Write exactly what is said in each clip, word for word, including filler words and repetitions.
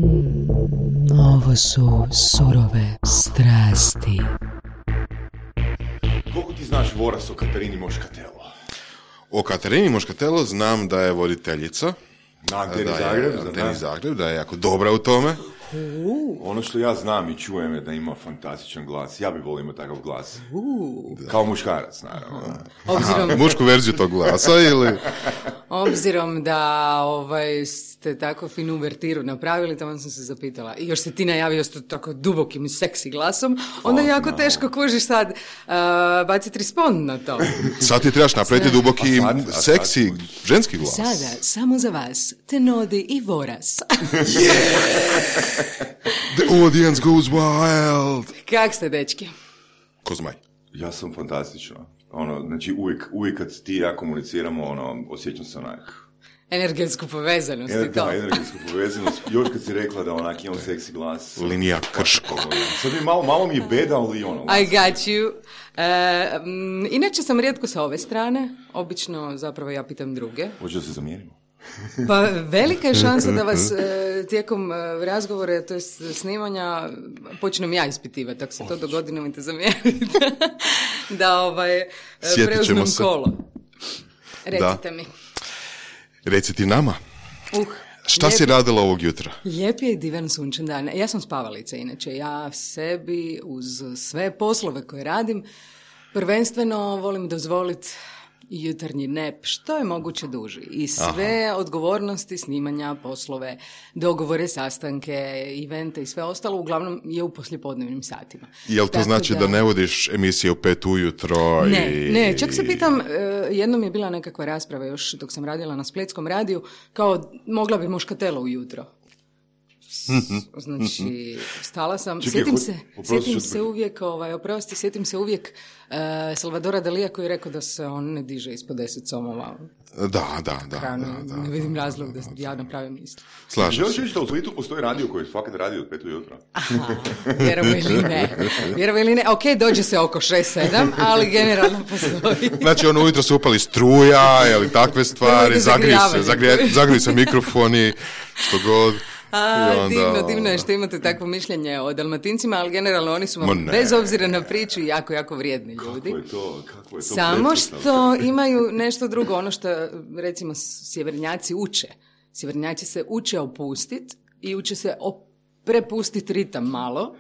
Mm, ovo su surove strasti. Koliko ti znaš Voras o Katarini Moškatelo? O Katarini Moškatelo znam da je voditeljica. Na Anteni da Zagreb. je, Anteni Zagreb, da je jako dobra u tome. Uh. Ono što ja znam i čujem je da ima fantastičan glas. Ja bih volio imati takav glas. Uh. Kao muškarac, naravno. Obzirom... Aha, mušku verziju tog glasa ili... Obzirom da ovaj, ste tako finu uvertiru napravili, tamo sam se zapitala. I još se ti najavio s tako dubokim i seksi glasom, onda je jako teško kužiš sad uh, baciti respond na to. Sad ti trebaš napraviti duboki, a sad, a sad, seksi, ženski glas. Sada, samo za vas, Tenodi i Voras. The audience goes wild. Kak ste, dečki? Ko zmaj. Ja sam fantastično. Ono, znači uvijek, uvijek kad ti i ja komuniciramo, ono, osjećam se onak. Energetsku povezanost Ener, i to. Da, energetsku povezanost. Još kad si rekla da onak imam seksi glas. Linija Krško. Sad mi malo, malo mi je beda, ali ono. I got you. E, m, inače sam rijetko sa ove strane. Obično zapravo ja pitam druge. Hoće da se zamijenimo? Pa velika je šansa da vas e, tijekom e, razgovora, to je snimanja, počnem ja ispitivati. Ako se to dogodi, nemojte zamjeriti. Da ovaj, e, preuzmem se. kolo. Recite da. mi. Reci ti nama. Uh, Šta lijep, si radila ovog jutra? Lijep je i divan sunčan dan. Ja sam spavalica inače. Ja sebi uz sve poslove koje radim prvenstveno volim dozvoliti jutarnji nep, što je moguće duži. I sve Aha. odgovornosti, snimanja, poslove, dogovore, sastanke, evente i sve ostalo, uglavnom je u poslijepodnevnim satima. Jel to Tako znači da... da ne vodiš emisije u pet ujutro? Ne, i... ne, čak se pitam, jednom je bila nekakva rasprava još dok sam radila na Splitskom radiju, kao mogla bi Moškatelo ujutro. Znači, stala sam, Čekaj, sjetim ho- se, oprosti, sjetim što- se uvijek, ovaj, oprosti, sjetim se uvijek uh, Salvadora Dalija koji je rekao da se on ne diže ispod deset somova. Da, da, da. Hrane, da, da ne vidim da, razlog da, da, da. ja napravim isto. Slažem Želiš se. reći da u Splitu postoji radio koji fakat radi od pet ujutro? Aha, vjerovo ili ne. Vjerovo ili ne. Ok, dođe se oko šest sedam, ali generalno postoji. Znači, ono ujutro su upali struja, ili takve stvari, Nemojte zagriju se, zagrijavati. zagriju, zagriju se mikrofoni, što god. A, I onda- divno, divno je što imate takvo mišljenje o Dalmatincima, ali generalno oni su Ma vam, ne. bez obzira na priču, jako, jako vrijedni ljudi. Kako je to? Kako je to Samo prekrasno. što imaju nešto drugo, ono što, recimo, sjevernjaci uče. Sjevernjaci se uče opustiti i uče se op- prepustiti ritam malo,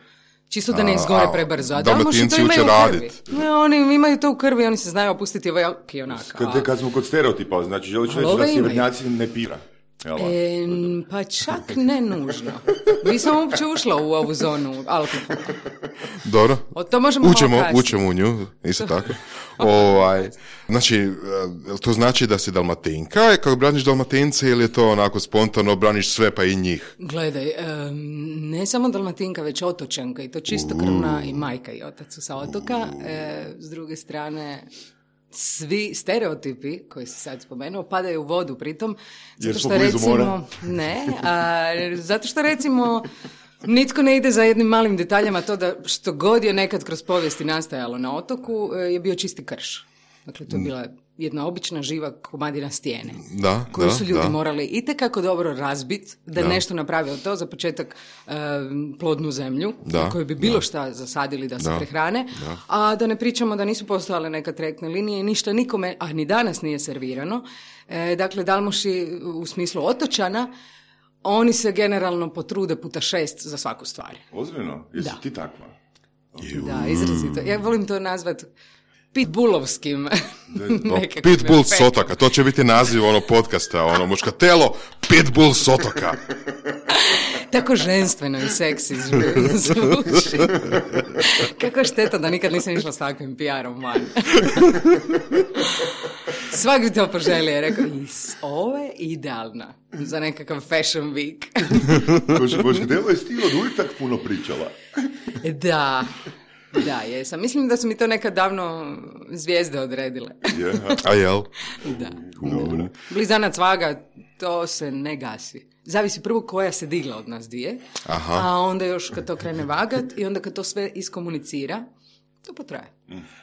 čisto da ne A, izgore a prebrzo. A Dalmatinci Dalmoši to imaju uče u krvi. radit. Ne, oni imaju to u krvi, oni se znaju opustiti ovaj ok i onaka. Kad, kad smo kod stereotipa, znači želiš Ali reći ove da imaju. sjevernjaci ne pira. Jel? E, pa čak ne nužno. Nisam uopće ušla u ovu zonu alkohola. Dobro. O, to možemo malo Učemo, kasnije. učemo u nju, isto tako. ovaj, znači, eh, jel to znači da si Dalmatinka, kako braniš Dalmatince, ili je to onako spontano, braniš sve pa i njih? Gledaj, em, ne samo Dalmatinka, već otočanka i to čistokrvna i majka i otac su sa otoka. E, s druge strane, svi stereotipi koji si sad spomenuo padaju u vodu pritom. Jer Zato smo što blizu recimo, mora. ne, a, zato što recimo nitko ne ide za jednim malim detaljama to da što god je nekad kroz povijesti nastajalo na otoku e, je bio čisti krš. Dakle, to je bila jedna obična živa komadina stijene. Da, Koju da, su ljudi da. morali itekako dobro razbiti, da, Da. nešto napravi od to, za početak e, plodnu zemlju, Da, na kojoj bi bilo da. šta zasadili da se Da, prehrane, da. a da ne pričamo da nisu postojale neka trajektne linije i ništa nikome, a ni danas nije servirano. E, dakle, Dalmoši u smislu otočana, oni se generalno potrude puta šest za svaku stvar. Ozbiljno? Jesi Da. ti takva? Da, izrazito. Ja volim to nazvat pitbullovskim No, nekakvim Pitbull s efektom. otoka, to će biti naziv ono podcasta, ono Moškatelo, Pitbull s otoka. Tako ženstveno i seksi zvu- zvuči. Kako šteta da nikad nisam išla s takvim P R-om van. Svak bi to poželio je rekao, is, ovo je idealna za nekakav fashion week. Moškatelo je stil od uvijek tak puno pričala. Da, da, jesam. Mislim da su mi to nekad davno zvijezde odredile. Je, A jel? Da. dobro. Blizanac vaga, to se ne gasi. Zavisi prvo koja se digla od nas dvije, Aha. a onda još kad to krene vagat i onda kad to sve iskomunicira, To potraje.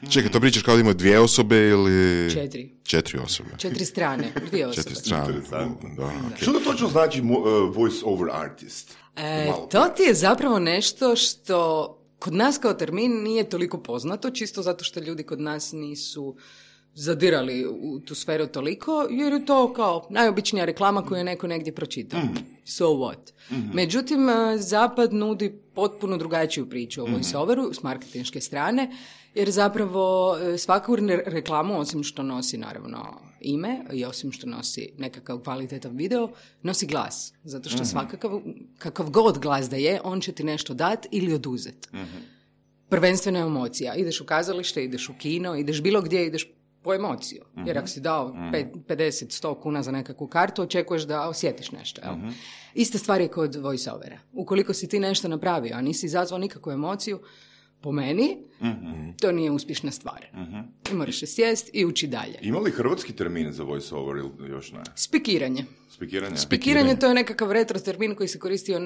Čekaj, to pričaš kao da imaju dvije osobe ili... Četiri. Četiri osobe. Četiri strane, dvije osobe. Četiri strane. Da, okay. Što to točno znači uh, voice over artist? E, to ti je zapravo nešto što kod nas kao termin nije toliko poznato, čisto zato što ljudi kod nas nisu zadirali u tu sferu toliko, jer je to kao najobičnija reklama koju je neko negdje pročitao. Mm. So what? Mm-hmm. Međutim, Zapad nudi potpuno drugačiju priču o voice-overu s marketinške strane, jer zapravo svaku reklamu, osim što nosi naravno ime i osim što nosi nekakav kvalitetan video, nosi glas. Zato što svakakav, kakav god glas da je, on će ti nešto dat ili oduzet. Mm-hmm. Prvenstveno je emocija. Ideš u kazalište, ideš u kino, ideš bilo gdje, ideš po emociju. Mm-hmm. Jer ako si dao pedeset do sto kuna za nekakvu kartu, očekuješ da osjetiš nešto. Jel? Mm-hmm. Ista stvar je kod voice-overa. Ukoliko si ti nešto napravio, a nisi izazvao nikakvu emociju, po meni, mm-hmm. to nije uspješna stvar. Mm-hmm. I moraš se sjest i uči dalje. Ima li hrvatski termin za voice-over ili još ne? Spikiranje. Spikiranje? Spikiranje, to je nekakav retro termin koji se koristio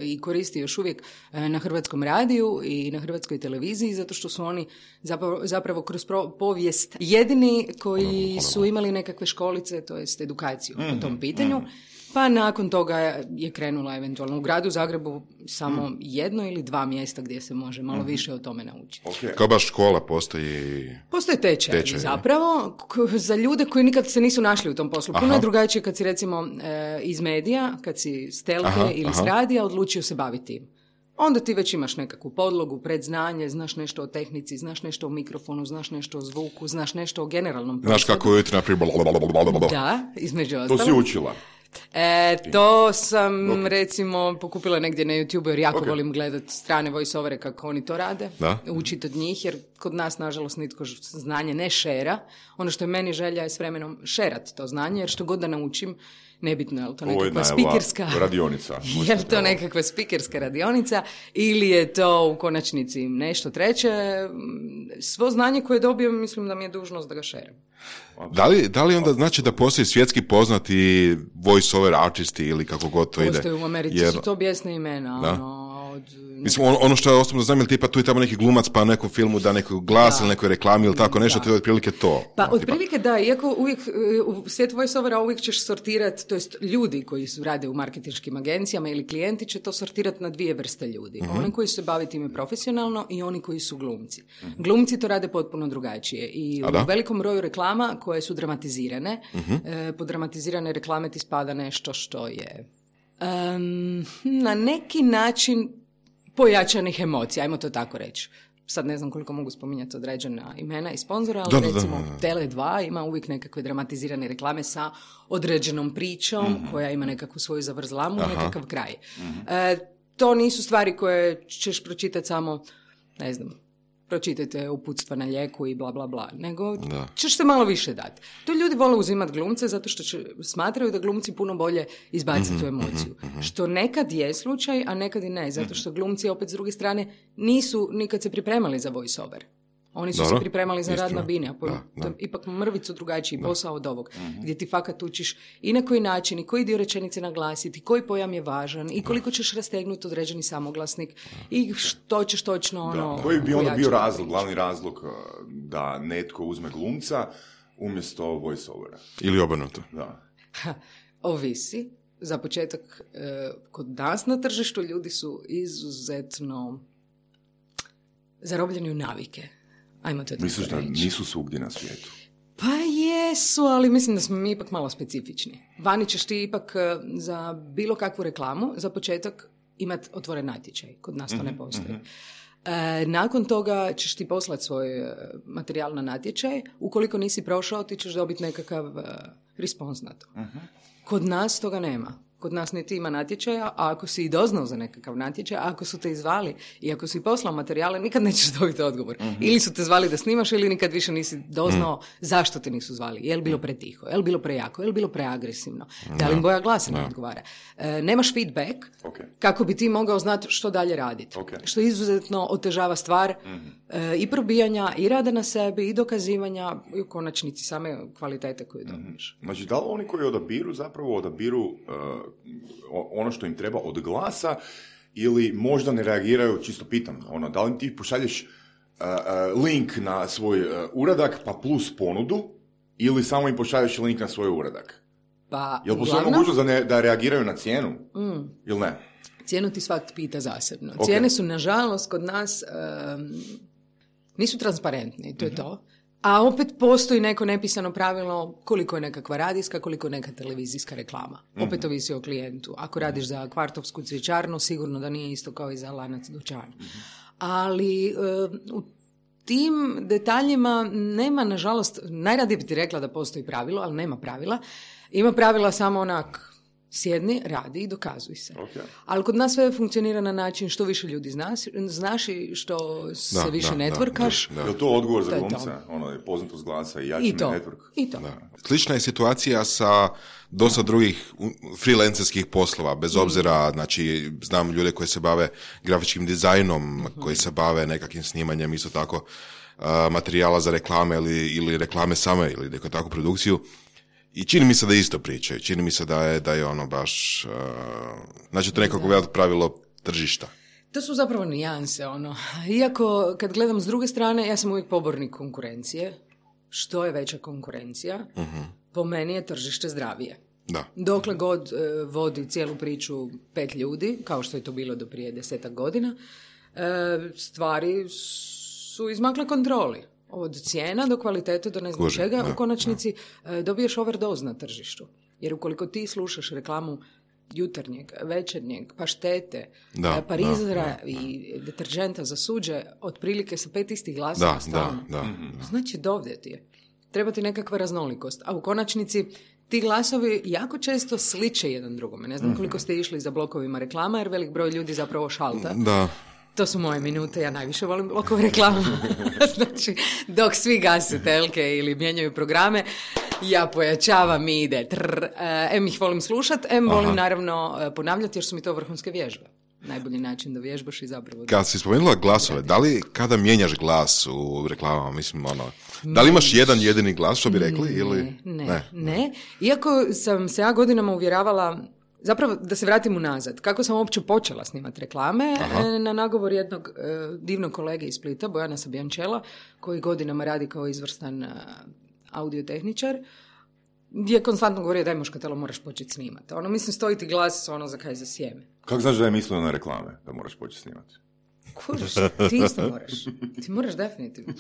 i koristi još uvijek na hrvatskom radiju i na hrvatskoj televiziji, zato što su oni zapravo, zapravo kroz povijest jedini koji su imali nekakve školice, to jest edukaciju mm-hmm. po tom pitanju. Mm-hmm. Pa nakon toga je krenula eventualno u gradu Zagrebu samo mm. jedno ili dva mjesta gdje se može malo mm. više o tome naučiti. Okay. Kao baš škola postoji... Postoje tečajevi tečaj, zapravo k- za ljude koji nikad se nisu našli u tom poslu. Puno je drugačije kad si recimo e, iz medija, kad si s telke aha, ili aha. s radija odlučio se baviti tim. Onda ti već imaš nekakvu podlogu, predznanje, znaš nešto o tehnici, znaš nešto o mikrofonu, znaš nešto o zvuku, znaš nešto o generalnom prostoru. Znaš kako je na primjer... Da, između ostalo. To si učila. E, to sam okay. recimo pokupila negdje na YouTube jer jako okay. volim gledati strane voice-overe kako oni to rade, učiti od njih jer kod nas nažalost nitko znanje ne šera. Ono što je meni želja je s vremenom šerat to znanje jer što god da naučim, nebitno je li to nekakva spikerska radionica. Je li to nekakva spikerska radionica ili je to u konačnici nešto treće. Svo znanje koje dobijem mislim da mi je dužnost da ga šeram. Da li, da li onda znači da postoji svjetski poznati voice-over artisti ili kako god to postoji ide? Postoji u Americi, jer... su to bijesne imena. Ono, od... Mislim, ono, ono što je osobno znam, ili tipa tu je tamo neki glumac pa nekom filmu da neko glas da. ili nekoj reklami ili tako nešto, da. to je otprilike to. Pa no, otprilike da, iako uvijek u svijetu voice-overa uvijek ćeš sortirati, to jest ljudi koji su rade u marketinškim agencijama ili klijenti će to sortirati na dvije vrste ljudi. Mm-hmm. Oni koji se bave time profesionalno i oni koji su glumci. Mm-hmm. Glumci to rade potpuno drugačije i u velikom broju reklama koje su dramatizirane, mm-hmm. e, pod dramatizirane reklame ti spada nešto što je um, na neki način pojačanih emocija, ajmo to tako reći. Sad ne znam koliko mogu spominjati određena imena i sponzora, ali da, recimo da, da, da. Tele dva ima uvijek nekakve dramatizirane reklame sa određenom pričom mm-hmm. koja ima nekakvu svoju zavrzlamu, aha. nekakav kraj. Mm-hmm. E, to nisu stvari koje ćeš pročitati samo, ne znam, pročitajte uputstva na lijeku i bla bla bla, nego da. ćeš se malo više dati. To ljudi vole uzimati glumce zato što će, smatraju da glumci puno bolje izbaciti mm-hmm, tu emociju. Mm-hmm. Što nekad je slučaj, a nekad i ne, zato što glumci opet s druge strane nisu nikad se pripremali za voice-over. Oni su Dobro. se pripremali za rad na bini, a po, da, to je ipak mrvicu drugačiji da. posao od ovog, mm-hmm. gdje ti fakat učiš i na koji način, i koji dio rečenice naglasiti, koji pojam je važan, i koliko ćeš rastegnuti određeni samoglasnik, i što ćeš točno ono... Da. Koji bi onda bio razlog, glavni razlog da netko uzme glumca umjesto voice-overa? Ili obrnuto. Da. Ovisi. Za početak, kod nas na tržištu ljudi su izuzetno zarobljeni u navike. Ajmo to Misliš da nisu svugdje na svijetu? Pa jesu, ali mislim da smo mi ipak malo specifični. Vani ćeš ti ipak za bilo kakvu reklamu, za početak imati otvoren natječaj. Kod nas to mm-hmm, ne postoji. Mm-hmm. E, nakon toga ćeš ti poslati svoj materijal na natječaj. Ukoliko nisi prošao, ti ćeš dobiti nekakav uh, respons na to. Mm-hmm. Kod nas toga nema. Kod nas niti ima natječaja, a ako si i doznao za nekakav natječaj, a ako su te izvali i ako si poslao materijale, nikad nećeš dobiti odgovor. Mm-hmm. Ili su te zvali da snimaš, ili nikad više nisi doznao mm. zašto te nisu zvali. Je li bilo pretiho, je li bilo prejako, je li bilo preagresivno, da li im boja glasa ne odgovara. E, nemaš feedback okay. kako bi ti mogao znati što dalje raditi. Okay. Što izuzetno otežava stvar mm-hmm. e, i probijanja, i rada na sebi, i dokazivanja, i u konačnici same kvalitete koju dobiješ. Mm-hmm. Znači, da li oni koji odabiru zapravo odabiru uh, ono što im treba od glasa ili možda ne reagiraju, čisto pitam, ono, da li ti pošalješ uh, link na svoj uh, uradak, pa plus ponudu, ili samo im pošalješ link na svoj uradak? Pa, Jel postoji mogućnost da, ne, da reagiraju na cijenu? Mm. Ili ne? Cijenu ti svak pita zasebno. Okay. Cijene su, nažalost, kod nas um, nisu transparentne, to je mm-hmm. to. A opet postoji neko nepisano pravilo koliko je nekakva radijska, koliko je neka televizijska reklama. Mm-hmm. Opet ovisi o klijentu. Ako radiš za kvartovsku cvjećarnu, sigurno da nije isto kao i za lanac dućana. Mm-hmm. Ali um, u tim detaljima nema, nažalost, najradije bi ti rekla da postoji pravilo, ali nema pravila. Ima pravila samo onak, sjedni, radi i dokazuj se. Okay. Ali kod nas sve funkcionira na način što više ljudi znaš, znaš i što se da, više da, networkaš. Da, da. Je li to odgovor za glumca? Ono je poznatost glasa i jačine network? I to. Da. Slična je situacija sa dosta drugih freelancerskih poslova, bez obzira, znači, znam ljude koji se bave grafičkim dizajnom, mm-hmm. koji se bave nekakvim snimanjem, isto tako uh, materijala za reklame ili, ili reklame same ili neku takvu produkciju. I čini mi se da isto pričaju, čini mi se da je, da je ono baš, uh, znači to nekako veliko pravilo tržišta. To su zapravo nijanse, ono. Iako, kad gledam s druge strane, ja sam uvijek pobornik konkurencije. Što je veća konkurencija, uh-huh. po meni je tržište zdravije. Da. Dokle god uh, vodi cijelu priču pet ljudi, kao što je to bilo do prije desetak godina, uh, stvari su izmakle kontroli. Od cijena do kvalitete do ne znam Kuži, čega, da, u konačnici da. dobiješ overdose na tržištu. Jer ukoliko ti slušaš reklamu jutarnjeg, večernjeg, paštete, da, parizera da, da. i deterženta za suđe, otprilike sa pet istih glasova stalno. Da, da, da. Znači, dovde ti je. Treba ti nekakva raznolikost. A u konačnici ti glasovi jako često sliče jedan drugome. Ne znam koliko ste išli za blokovima reklama, jer velik broj ljudi zapravo šalta. Da. To su moje minute, ja najviše volim blokove reklama. Znači, dok svi gase telke ili mijenjaju programe, ja pojačavam i ide. Trr, em ih volim slušat, em Aha. volim naravno ponavljati, jer su mi to vrhunske vježbe. Najbolji način da vježbaš i zapravo... Kad si spomenula glasove, da li kada mijenjaš glas u reklamama, mislim, ono, da li imaš jedan jedini glas, što bi rekli? Ne, ili... ne, ne, ne. Iako sam se ja godinama uvjeravala... Zapravo, da se vratim unazad, kako sam uopće počela snimati reklame, Aha. na nagovor jednog e, divnog kolege iz Splita, Bojana Sabijančela, koji godinama radi kao izvrstan e, audiotehničar, gdje je konstantno govorio daj muškatelo, moraš početi snimati. Ono, mislim, stoji ti glas ono za kaj za sjeme. Kako znaš da je mislio na reklame, da moraš početi snimati? Kužiš, ti isto moraš. Ti moraš definitivno.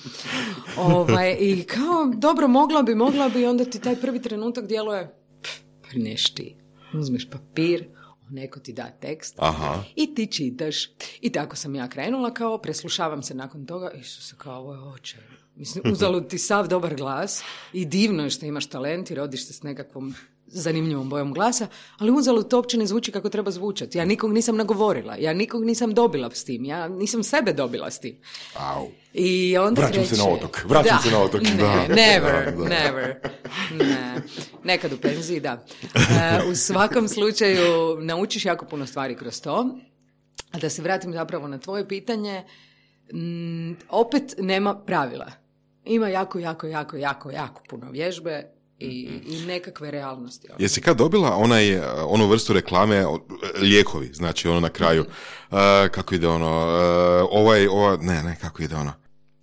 Ovaj, I kao, dobro, mogla bi, mogla bi, onda ti taj prvi trenutak djeluje, pff, neš ti. Uzmeš papir, neko ti da tekst Aha. i ti čitaš. I tako sam ja krenula, kao preslušavam se nakon toga, Isuse, kao ovo je očaj. Mislim, uzalud ti sav dobar glas i divno je što imaš talent i rodiš se s nekakvom zanimljivom bojom glasa, ali uzalud to uopće ne zvuči kako treba zvučati. Ja nikog nisam nagovorila, ja nikog nisam dobila s tim, ja nisam sebe dobila s tim. Au. I onda vraćam kreće... se na otok, vraćam da. se na otok. Ne, da. never, da, da. never. Ne. Nekad u penziji, da. Uh, u svakom slučaju naučiš jako puno stvari kroz to. A da se vratim zapravo na tvoje pitanje, m, opet nema pravila. Ima jako, jako, jako, jako, jako puno vježbe i, i nekakve realnosti. Jesi kad dobila onaj, onu vrstu reklame, lijekovi, znači ono na kraju, uh, kako ide ono, uh, ovaj, ova, ne, ne, kako ide ono.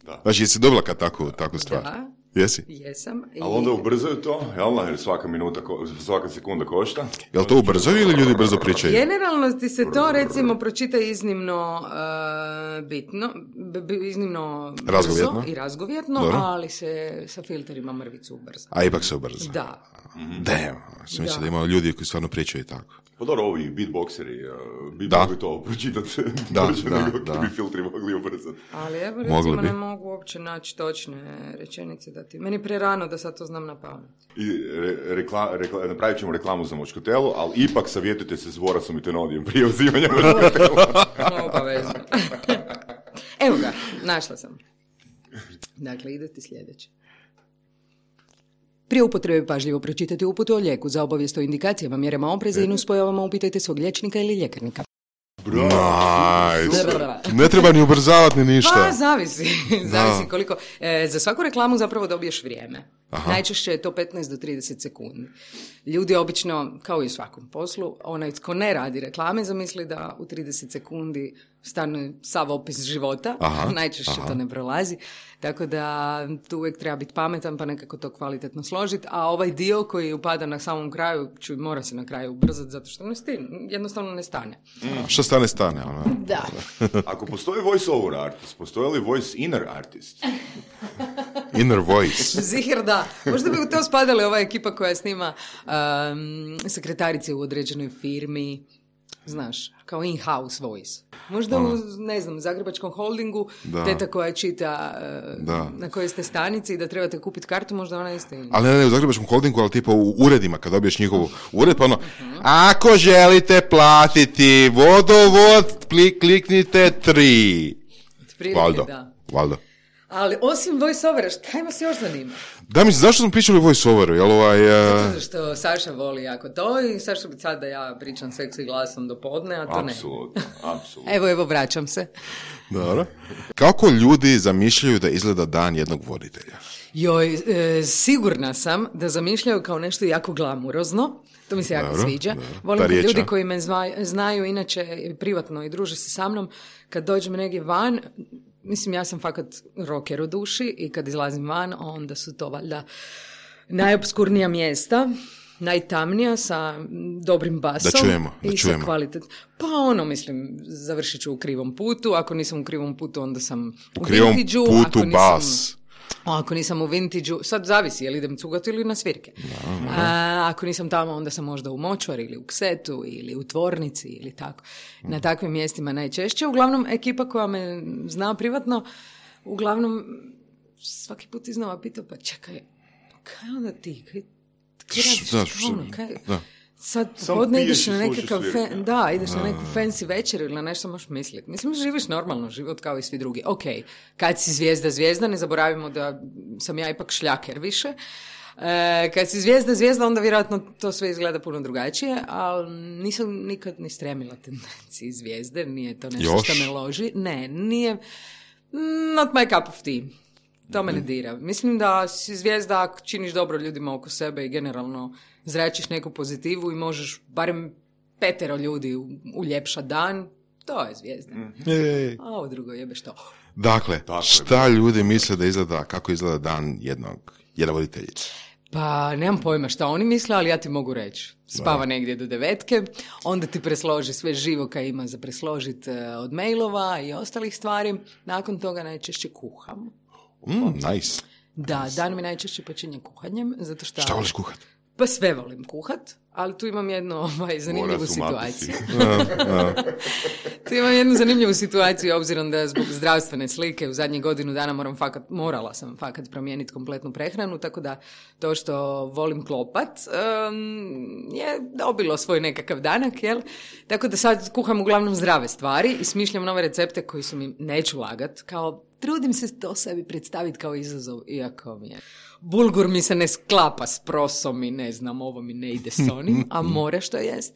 Da. Znači, jesi dobila kad takvu, takvu stvar? Da. Jesi? Jesam. I... Ali onda ubrzaju to, jel? Jer svaka minuta, svaka sekunda košta. Jel to ubrzaju ili ljudi brzo pričaju? Generalno ti se to, recimo, pročita iznimno uh, bitno, b- b- iznimno brzo razgovjetno. i razgovjetno, Dobro. ali se sa filterima mrvicu ubrza. A ipak se ubrza? Da. Mm-hmm. Damn, sam mislio da ima ljudi koji stvarno pričaju tako. Pa dobro, ovi beatboxeri, uh, bi da. mogli to pročitati, da, da, nego da. bi filtri mogli ubrzati. Ali evo, recimo, ne mogu uopće naći točne rečenice da ti... Meni prerano da sad to znam na pamet. I re, rekla, rekla, napravit ćemo reklamu za močkotelu, ali ipak savjetujte se s Vorasom i Tenodijem prije uzimanja močkotela. Obavezno. Evo ga, našla sam. Dakle, ide ti sljedeće. Prije upotrebe pažljivo pročitajte uputu o lijeku. Za obavijest o indikacijama, mjerama opreza i nuspojavama upitajte svog liječnika ili ljekarnika. Nice. Ne treba ni ubrzavati ni ništa. Pa, zavisi. zavisi koliko. E, za svaku reklamu zapravo dobiješ vrijeme. Aha. Najčešće je to petnaest do trideset sekundi. Ljudi obično, kao i u svakom poslu, onaj tko ne radi reklame zamisli da u trideset sekundi stane sav opis života, aha, najčešće aha. to ne prolazi, tako da tu uvijek treba biti pametan pa nekako to kvalitetno složiti, a ovaj dio koji upada na samom kraju, ću mora se na kraju ubrzati zato što ne stine, jednostavno ne stane. Mm. Što stane, stane. Ona. Da. Ako postoji voice over artist, postoji li voice inner artist? Inner voice. Zihir da. Možda bi u to spadali ova ekipa koja snima um, sekretarice u određenoj firmi, znaš, kao in-house voice. Možda u, ne znam, Zagrebačkom holdingu, da. Teta koja čita uh, na kojoj ste stanici i da trebate kupiti kartu, možda ona isto ili. Ali ne, ne u Zagrebačkom holdingu, ali tipa u uredima, kad dobiješ njihovu ured, pa ono, uh-huh. ako želite platiti vodovod, klik, kliknite tri. Prilike, Valdo, da. Valdo. Ali osim voice-overa, šta ima se još zanima? Da, mislim, zašto smo pričali o voice-overu? Jel ovaj... Uh... Zato što Saša voli jako to i Saša bi sad da ja pričam seksi glasom do podne, a to apsolutno, ne. Apsolutno, apsolutno. Evo, evo, vraćam se. Dobro. Kako ljudi zamišljaju da izgleda dan jednog voditelja? Joj, e, sigurna sam da zamišljaju kao nešto jako glamurozno. To mi se jako dobro, sviđa. dobro. Volim kad riječ, ljudi a? koji me zva, znaju inače privatno i druže se sa mnom, kad dođem negdje van, mislim ja sam fakat rocker u duši i kad izlazim van, onda su to valjda najopskurnija mjesta, najtamnija sa dobrim basom. Da čujemo, da i čujemo. Sa kvalitet. Pa ono, mislim, završit ću u krivom putu. Ako nisam u krivom putu, onda sam u, u krivom vintage-u. putu Ako nisam, bas. Ako nisam u vintage-u, sad zavisi je li idem cugati ili na svirke. Da, A, ako nisam tamo, onda sam možda u močvari ili u ksetu ili u tvornici ili tako. Na takvim mjestima najčešće. Uglavnom, ekipa koja me zna privatno, uglavnom svaki put iznova pitao, pa čekaj, kaj onda ti? Kaj, kaj radiš? Da, što, ono, kaj? da. Sad Samo podne piješ ideš i na slušaš nekakav, svirke. fe, da, ideš na neku fancy večer ili na nešto možeš misliti. Mislim, živiš normalno život kao i svi drugi. Ok, kad si zvijezda, zvijezda, ne zaboravimo da sam ja ipak šljaker više. E, kad si zvijezda, zvijezda, onda vjerojatno to sve izgleda puno drugačije, ali nisam nikad ni stremila tendenciji zvijezde, nije to nešto Još? što me loži. Ne, nije, not my cup of tea. To me ne dira. Mislim da si zvijezda ako činiš dobro ljudima oko sebe i generalno zračiš neku pozitivu i možeš barem petero ljudi uljepša dan, to je zvijezda. Ej. A ovo drugo jebe što. Dakle, Tako je, šta ljudi misle da izgleda, kako izgleda dan jednog, jedne voditeljice? Pa nemam pojma šta oni misle, ali ja ti mogu reći. Spava negdje do devetke, onda ti presloži sve živo kaj ima za presložiti od mailova i ostalih stvari. Nakon toga najčešće kuham. Mm, nice. Da, dan mi najčešće počinje kuhanjem, zato što... Šta voliš kuhat? Pa sve volim kuhat, ali tu imam jednu ovaj, zanimljivu Mora su situaciju. Uh, uh. Tu imam jednu zanimljivu situaciju, obzirom da zbog zdravstvene slike u zadnjih godinu dana moram fakat, morala sam fakat promijeniti kompletnu prehranu, tako da to što volim klopat um, je dobilo svoj nekakav danak, jel? Tako da sad kuham uglavnom zdrave stvari i smišljam nove recepte koji su mi, neću lagat, kao trudim se to sebi predstaviti kao izazov, iako mi je... Bulgur mi se ne sklapa s prosom i ne znam, ovo mi ne ide s onim, a mora što jest.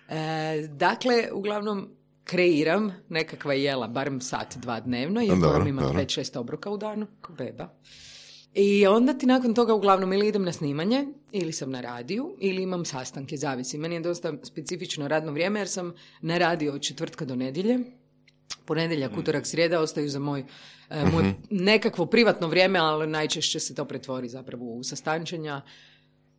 E, dakle, uglavnom kreiram nekakva jela, barem sat, dva dnevno, jer Dobro, moram imati dobro. pet šest obroka u danu, ko beba. I onda ti nakon toga uglavnom ili idem na snimanje, ili sam na radiju, ili imam sastanke, zavisi. Meni je dosta specifično radno vrijeme, jer sam na radiju od četvrtka do nedjelje. Ponedjeljak, utorak, srijeda ostaju za moj, e, moje nekakvo privatno vrijeme, ali najčešće se to pretvori zapravo u sastančenja.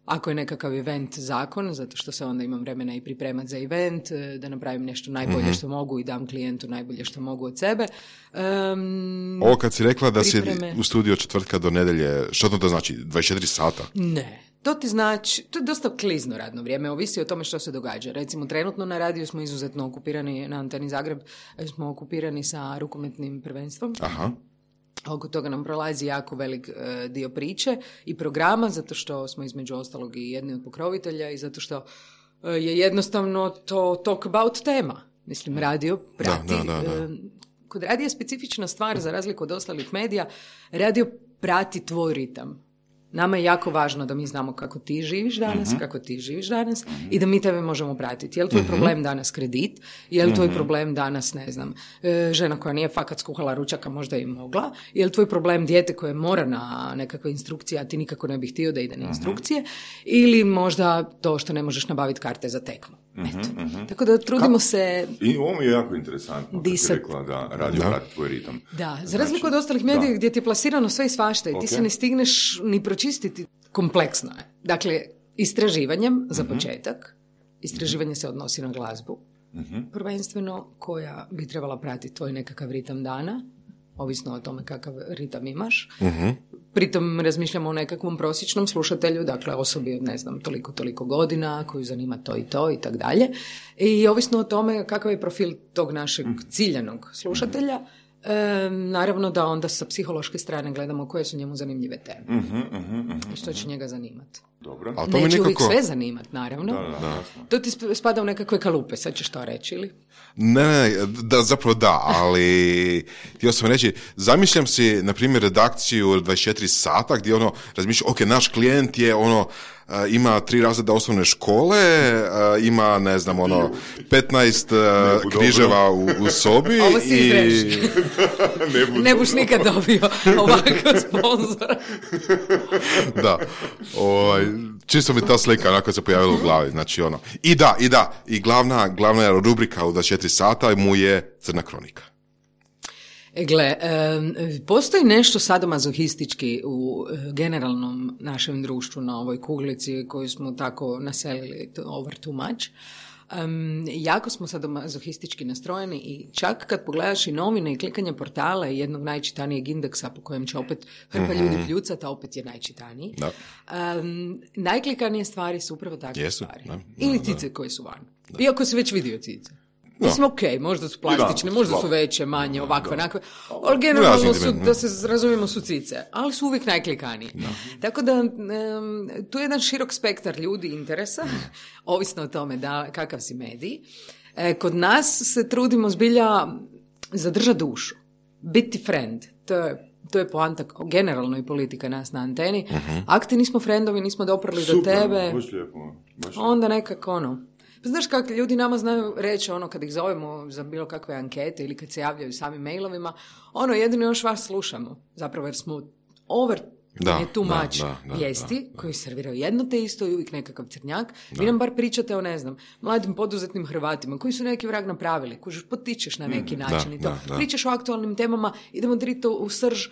Ako je nekakav event zakon, zato što se onda imam vremena i pripremati za event, e, da napravim nešto najbolje Mhm. što mogu i dam klijentu najbolje što mogu od sebe. Um, Ovo kad si rekla da si pripreme. u studiju od četvrtka do nedjelje, što to, to znači? dvadeset četiri sata? Ne. To ti znači, to je dosta klizno radno vrijeme, ovisi o tome što se događa. Recimo, trenutno na radiju smo izuzetno okupirani, na Anteni Zagreb smo okupirani sa rukometnim prvenstvom. Aha. Oko toga nam prolazi jako velik e, dio priče i programa, zato što smo između ostalog i jedni od pokrovitelja i zato što e, je jednostavno to talk about tema. Mislim, radio prati. Da, da, da, da. e, kod radija je specifična stvar, za razliku od ostalih medija, radio prati tvoj ritam. Nama je jako važno da mi znamo kako ti živiš danas, mm-hmm. kako ti živiš danas mm-hmm. i da mi tebe možemo pratiti. Je li tvoj mm-hmm. problem danas kredit? Je li tvoj mm-hmm. problem danas, ne znam, žena koja nije fakat skuhala ručaka, možda i mogla? Je li tvoj problem dijete koje mora na nekakve instrukcije, a ti nikako ne bih htio da ide na instrukcije? Mm-hmm. Ili možda to što ne možeš nabaviti karte za tekmu? Eto. Mm-hmm. Tako da trudimo Ka- se... I ovo mi je jako interesantno, kad si rekla da radio prati tvoj ritam. Da, za razliku znači, od ostalih medija gdje ti je plasirano sve i svašta i okay. ti se ne stigneš ni pročistiti, kompleksno je. Dakle, istraživanjem, za mm-hmm. početak, istraživanje se odnosi na glazbu, mm-hmm. prvenstveno koja bi trebala pratiti tvoj nekakav ritam dana, ovisno o tome kakav ritam imaš. Mm-hmm. Pritom razmišljamo o nekakvom prosječnom slušatelju, dakle osobi od, ne znam, toliko, toliko godina, koju zanima to i to i tak dalje. I ovisno o tome kakav je profil tog našeg ciljanog slušatelja, e, naravno da onda sa psihološke strane gledamo koje su njemu zanimljive teme. Mm-hmm, mm-hmm, i što će njega zanimati. Dobro. A to neće nekako... uvijek sve zanimati, naravno. Da, da, da. To ti spada u nekakve kalupe, sad ćeš to reći, ili? Ne, ne, da, zapravo da, ali htio sam reći, zamišljam si, na primjer, redakciju dvadeset četiri sata gdje ono, razmišljam, ok, naš klijent je ono, Uh, ima tri razreda osnovne škole, uh, ima, ne znam, ono, petnaest uh, križeva u, u sobi. Ovo si izreži. ne, ne buš nikad dobio ovakav sponzora. Da. Ovaj, čisto mi ta slika onako se pojavila u glavi. Znači, ono. I da, i da, i glavna, glavna rubrika u dvadeset četiri sata mu je Crna kronika. E, gle, postoji nešto sadomazohistički u generalnom našem društvu na ovoj kuglici koju smo tako naselili over too much. Um, jako smo sadomazohistički nastrojeni i čak kad pogledaš i novine i klikanje portala i jednog najčitanijeg indeksa po kojem će opet hrpa mm-hmm. ljudi pljucati, a opet je najčitaniji. Da. Um, najklikanije stvari su upravo takve Jesu, stvari. Da, da, Ili cice da. koje su van. Da. Iako si već vidio cice. Mislim, ok, možda su plastične, možda su veće, manje, ovakve, onakve, ali generalno su, da se razumijemo, su cice, ali su uvijek najklikaniji. No. Tako da, um, tu je jedan širok spektar ljudi interesa, ovisno o tome da, kakav si medij. E, kod nas se trudimo zbilja zadržati dušu, biti friend, to je To je poanta, generalno i politika nas na anteni. Uh-huh. Ako ti nismo friendovi, nismo doprli do tebe, baš lijepo, baš onda nekako ono... Pa znaš kako ljudi nama znaju reći ono kad ih zovemo za bilo kakve ankete ili kad se javljaju samim mailovima, ono jedino još vas slušamo, zapravo jer smo over da, je tu mač vijesti koji serviraju jedno te isto i uvijek nekakav crnjak. Da. Vi nam bar pričate o, ne znam, mladim poduzetnim Hrvatima koji su neki vrag napravili, koji potičeš na neki način da, i to. Da, da. Pričaš o aktualnim temama, idemo drito u srž.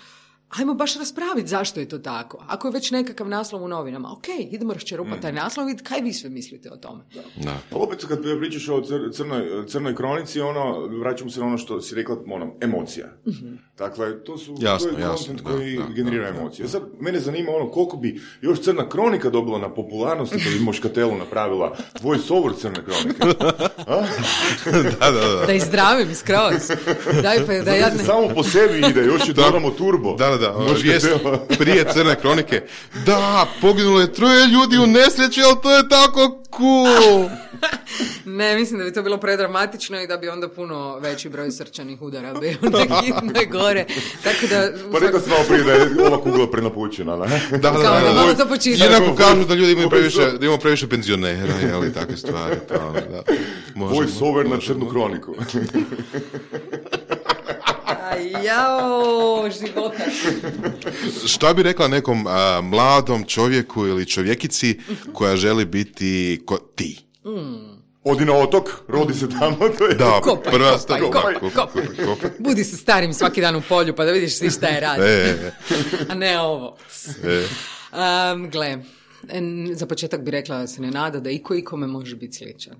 Ajmo baš raspraviti zašto je to tako. Ako je već nekakav naslov u novinama, ok, idemo raščerupati mm. taj naslov i vidjeti kaj vi sve mislite o tome. Da. Da. Opet kad pričaš o cr- crnoj, crnoj kronici, ono, vraćamo se na ono što si rekla, ono, emocija. Mm-hmm. Dakle, to su jasno, to je content koji da, generira da, emocije. Da, da. Sad, mene zanima ono, koliko bi još Crna kronika dobila na popularnosti kad bi Moškatelu napravila voice over Crne kronike. da, da, da. Da izdravim skroz. Daj, pa, da ja ne... Samo po sebi ide, još je dodamo turbo. Da, da, da. Vijest prije Crne kronike. Da, poginulo je troje ljudi u nesreći, ali to je tako cool. Ne, mislim da bi to bilo predramatično i da bi onda puno veći broj srčanih udara bio nekih gore. Tako da... Pa rekao sam malo prije da je ova kugla prenapućena, ne? Da, da, da. Kao da, malo to počistiti. Jednako kažu da ljudi imaju previše, da imamo previše penzionera, jeli, takve stvari. Pa, da. Voice over na Crnu kroniku. Jao, života. Šta bi rekla nekom a, mladom čovjeku ili čovjekici koja želi biti ko ti? Mm. Odi na otok, rodi se tamo. To je... Da, kopaj, prva kopaj, kopaj, kopaj, kopaj. kopaj. Budi se starim svaki dan u polju pa da vidiš svi šta je radi. E. A ne ovo. E. Um, gle, za početak bi rekla da se ne nada da iko ikome može biti sličan.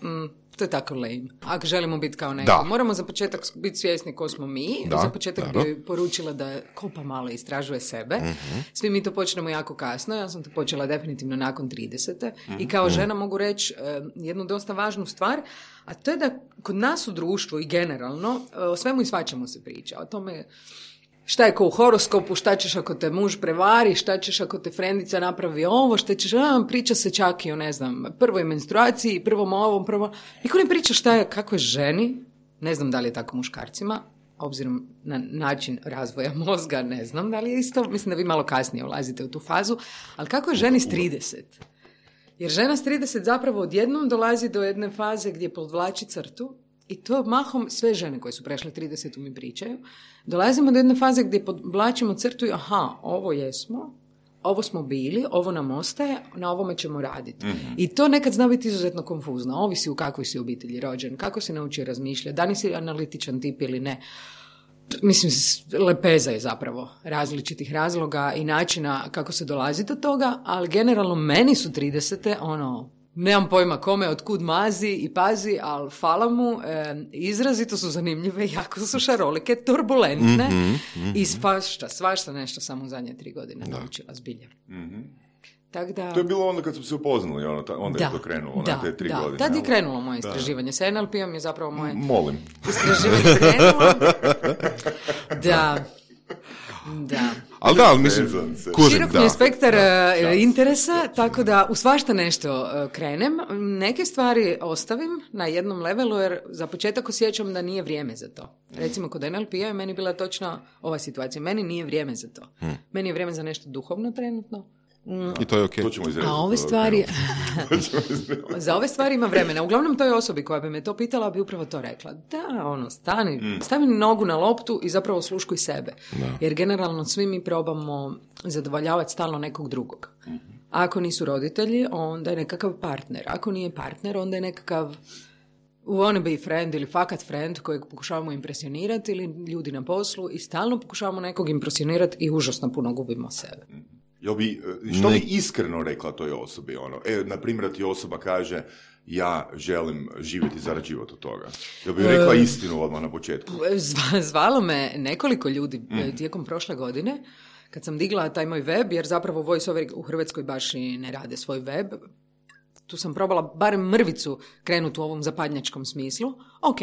Mm. To je tako lame. Ako želimo biti kao neko, moramo za početak biti svjesni ko smo mi. Da, za početak da, bi poručila da kopa malo istražuje sebe. Uh-huh. Svi mi to počnemo jako kasno. Ja sam to počela definitivno nakon tridesete. Uh-huh. I kao žena mogu reći uh, jednu dosta važnu stvar, a to je da kod nas u društvu i generalno uh, o svemu i svačemu se priča. O tome šta je ko u horoskopu, šta ćeš ako te muž prevari, šta ćeš ako te frendica napravi ovo, šta ćeš, a, priča se čak i o, ne znam, prvoj menstruaciji, prvom ovom, prvo... Niko ne priča šta je, kako je ženi, ne znam da li je tako muškarcima, obzirom na način razvoja mozga, ne znam da li je isto, mislim da vi malo kasnije ulazite u tu fazu, ali kako je ženi s trideset? Jer žena s trideset zapravo odjednom dolazi do jedne faze gdje podvlači crtu, i to mahom sve žene koje su prešle trideset mi pričaju, dolazimo do jedne faze gdje podvlačimo crtu i aha, ovo jesmo, ovo smo bili, ovo nam ostaje, na ovome ćemo raditi. Mm-hmm. I to nekad zna biti izuzetno konfuzno. Ovisi u kakvoj si obitelji rođen, kako si naučio razmišljati, da li si analitičan tip ili ne. Mislim, lepeza je zapravo različitih razloga i načina kako se dolazi do toga, ali generalno meni su tridesete, ono, nemam pojma kome, otkud mazi i pazi, ali hvala mu, e, izrazito su zanimljive, jako su šarolike, turbulentne mm-hmm, mm-hmm. i svašta, svašta nešto samo u zadnje tri godine da. naučila zbilja. Mm-hmm. Tak da... To je bilo onda kad smo se upoznali, ono, ta, onda da, je to krenulo, da, na te tri da, godine. Tad je krenulo moje istraživanje. Da. Sa en el pe-om je zapravo moje Molim. istraživanje krenulo. Da, da. Ali da, ali mislim, kužim, širok mi je spektar da, interesa, da, tako da u svašta nešto krenem. Neke stvari ostavim na jednom levelu, jer za početak osjećam da nije vrijeme za to. Recimo, kod en el pe-a je meni bila točno ova situacija. Meni nije vrijeme za to. Hmm. Meni je vrijeme za nešto duhovno trenutno. I to je okej. To ćemo izrediti. A ove stvari... za ove stvari ima vremena. Uglavnom toj osobi koja bi me to pitala bi upravo to rekla. Da, ono, stani, mm. stavi nogu na loptu i zapravo sluškuj sebe. Da. Jer generalno svi mi probamo zadovoljavati stalno nekog drugog. Mm-hmm. Ako nisu roditelji, onda je nekakav partner. Ako nije partner, onda je nekakav wannabe friend ili fakat friend kojeg pokušavamo impresionirati ili ljudi na poslu i stalno pokušavamo nekog impresionirati i užasno puno gubimo sebe. Mm. Jel bi, što bi iskreno rekla toj osobi? Ono? E, na primjer, ti osoba kaže ja želim živjeti i zarađivati od toga. Jel bi rekla istinu odmah na početku? Zva, zvalo me nekoliko ljudi mm. tijekom prošle godine kad sam digla taj moj web, jer zapravo voiceover u Hrvatskoj baš i ne rade svoj web. Tu sam probala barem mrvicu krenuti u ovom zapadnjačkom smislu. Ok,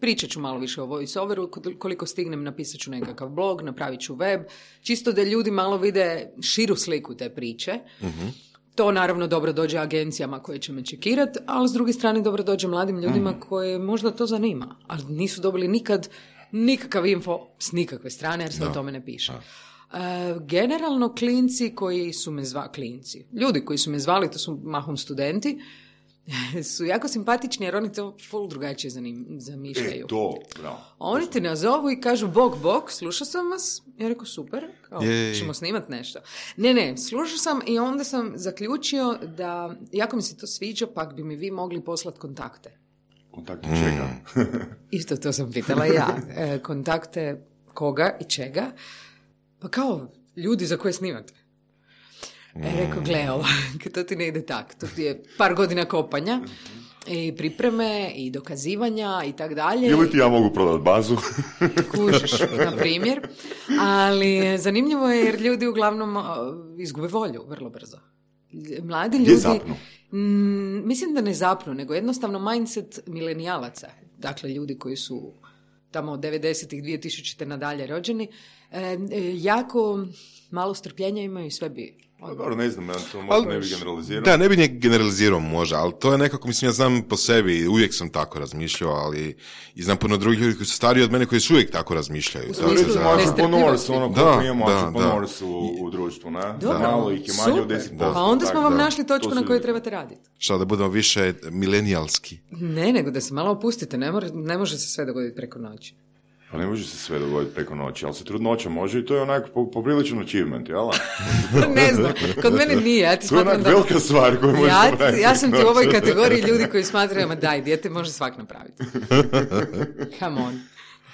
pričat ću malo više o voiceoveru, koliko stignem napisat ću nekakav blog, napravit ću web, čisto da ljudi malo vide širu sliku te priče. Mm-hmm. To naravno dobro dođe agencijama koje će me čekirati, ali s druge strane dobro dođe mladim ljudima mm-hmm. koje možda to zanima, ali nisu dobili nikad nikakav info s nikakve strane jer se no. o tome ne piše. No. Uh, generalno klinci koji su me zvali, klinci, ljudi koji su me zvali, to su mahom studenti, su jako simpatični jer oni to full drugačije zanim, zamišljaju. E, to, bravo. Oni te nazovu i kažu bok, bok, slušao sam vas. Ja rekao, super, kao, ćemo snimati nešto. Ne, ne, slušao sam i onda sam zaključio da, jako mi se to sviđa, pak bi mi vi mogli poslati kontakte. Kontakte čega? Isto to sam pitala ja. E, kontakte koga i čega? Pa kao, ljudi za koje snimate. E, rekao, gle, ovo, to ti ne ide tak. To ti je par godina kopanja i pripreme i dokazivanja i tak dalje. Ili ti ja mogu prodati bazu? Kužiš, na primjer. Ali zanimljivo je jer ljudi uglavnom izgube volju vrlo brzo. Mladi ljudi... Gdje zapnu? M, mislim da ne zapnu, nego jednostavno mindset milenijalaca. Dakle, ljudi koji su tamo od devedesetih, dvije tisućite nadalje rođeni, e, e, jako malo strpljenja imaju i sve bi... Pa dobro, ne znam, ja to možda ne bi generalizirao. Da, ne bi ne generalizirao možda, ali to je nekako, mislim, ja znam po sebi, uvijek sam tako razmišljao, ali i znam puno drugih ljudi koji su stariji od mene koji su uvijek tako razmišljaju. To je entrepreneurs, ono koliko imamo entrepreneurs u, u društvu, ne? Da, malo ih je manje od deset posto. Pa onda smo vam da, našli točku na kojoj trebate raditi. Šta, da budemo više milenijalski? Ne, nego da se malo opustite, ne, more, ne može se sve dogoditi preko noći. Pa ne može se sve dogoditi preko noći, ali se trudnoća može i to je onako popriličan achievement, jel? Ne znam, kod mene nije. Ja ti to je onak da... velika stvar koju možeš ja, napraviti. Ja sam ti u ovoj kategoriji ljudi koji smatraju, ma daj, dijete može svak napraviti. Come on.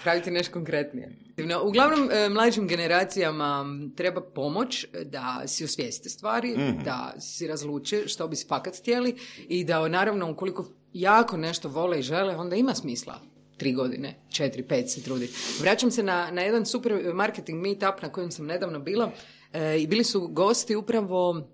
Praviti nešto konkretnije. Uglavnom, mlađim generacijama treba pomoć da si osvijeste stvari, mm-hmm. da si razluče što bi si fakat htjeli i da, naravno, ukoliko jako nešto vole i žele, onda ima smisla tri godine, četiri, pet se trudi. Vraćam se na, na jedan super marketing meetup na kojem sam nedavno bila e, i bili su gosti upravo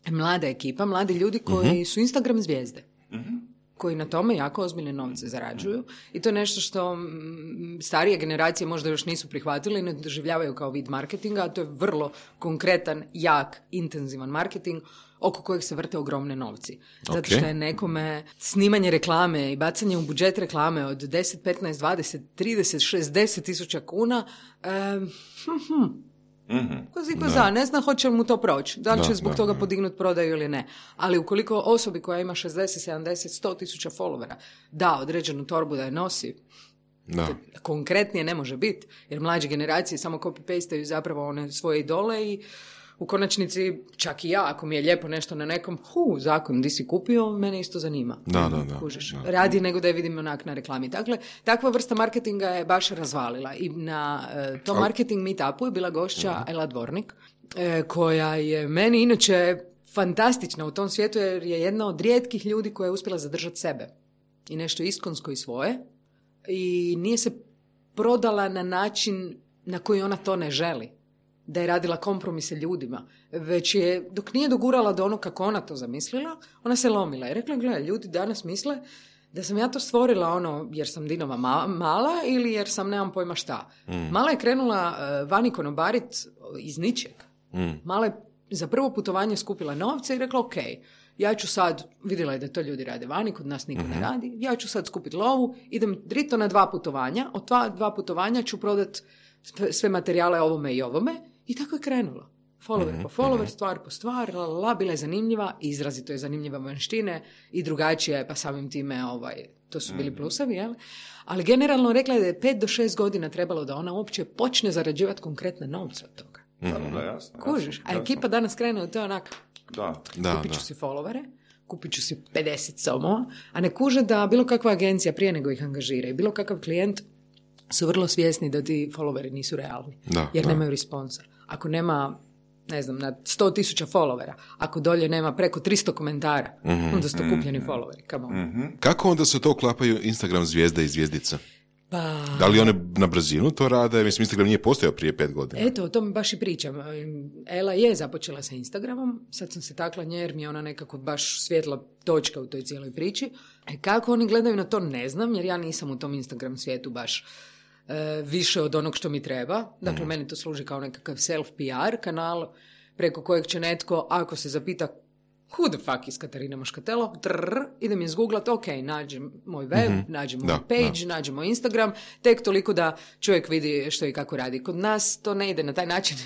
mlada ekipa, mladi ljudi koji uh-huh. su Instagram zvijezde. Uh-huh. Koji na tome jako ozbiljne novce zarađuju i to je nešto što m, starije generacije možda još nisu prihvatili i ne doživljavaju kao vid marketinga, a to je vrlo konkretan, jak, intenzivan marketing oko kojeg se vrte ogromne novci. Zato okay. što je nekome snimanje reklame i bacanje u budžet reklame od deset, petnaest, dvadeset, trideset, šezdeset tisuća kuna, um, hm, hm. Mm-hmm. Ko za, ne zna hoće li mu to proći, da li će da, zbog da, toga podignuti prodaju ili ne. Ali ukoliko osobi koja ima šezdeset, sedamdeset, sto tisuća followera da određenu torbu da je nosi, da. Konkretnije ne može biti, jer mlađe generacije samo copy-pastaju zapravo one svoje idole i u konačnici čak i ja, ako mi je lijepo nešto na nekom, hu, zakon, di si kupio, mene isto zanima. Da, da, da. Kužiš, da. Radi nego da je vidim onak na reklami. Dakle, takva vrsta marketinga je baš razvalila i na uh, tom marketing meetupu je bila gošća uh-huh. Ela Dvornik, uh, koja je meni inače fantastična u tom svijetu jer je jedna od rijetkih ljudi koja je uspjela zadržati sebe i nešto iskonsko i svoje i nije se prodala na način na koji ona to ne želi. Da je radila kompromise ljudima, već je, dok nije dogurala do ono kako ona to zamislila, ona se lomila i rekla, gledaj, ljudi danas misle da sam ja to stvorila ono jer sam Dinova ma- mala ili jer sam nemam pojma šta. Mm. Mala je krenula uh, vani konobarit iz ničeg. Mm. Mala je za prvo putovanje skupila novce i rekla, ok, ja ću sad, vidjela je da to ljudi rade vani, kod nas niko mm-hmm. ne radi, ja ću sad skupiti lovu, idem drito na dva putovanja, od dva, dva putovanja ću prodat sve materijale ovome i ovome. I tako je krenulo. Follower mm-hmm. po follower, stvar po stvar, la, la, la, bila je zanimljiva, izrazito je zanimljiva vanštine i drugačije, pa samim time ovaj, to su bili plusevi, jel? Ali generalno rekla je da je pet do šest godina trebalo da ona uopće počne zarađivati konkretne novce od toga. Mm-hmm. Da, jasno. Kužiš? A ekipa danas krene od to onak, da. Da, kupit ću da. si followere, kupit ću si pedeset somova, a ne kuže da bilo kakva agencija prije nego ih angažira i bilo kakav klijent su vrlo svjesni da ti followeri nisu realni, da, jer da. nemaju responsa. Ako nema, ne znam, na sto tisuća followera, ako dolje nema preko tristo komentara, mm-hmm, onda su to kupljeni mm-hmm. followeri. Come on. Mm-hmm. Kako onda se to uklapaju Instagram zvijezde i zvijezdice? Pa... Da li one na brzinu to rade? Mislim, Instagram nije postojao prije pet godina. Eto, o tome baš i pričam. Ela je započela sa Instagramom, sad sam se takla nje jer mi je ona nekako baš svjetla točka u toj cijeloj priči. E kako oni gledaju na to ne znam, jer ja nisam u tom Instagram svijetu baš e, više od onog što mi treba. Dakle, mm. meni to služi kao nekakav self-P R kanal preko kojeg će netko, ako se zapita who the fuck is Katarina Moškatelo, trrr, idem izgooglat, ok, nađem moj web, mm-hmm. nađem moj da, page, da. nađem moj Instagram, tek toliko da čovjek vidi što i kako radi. Kod nas to ne ide na taj način.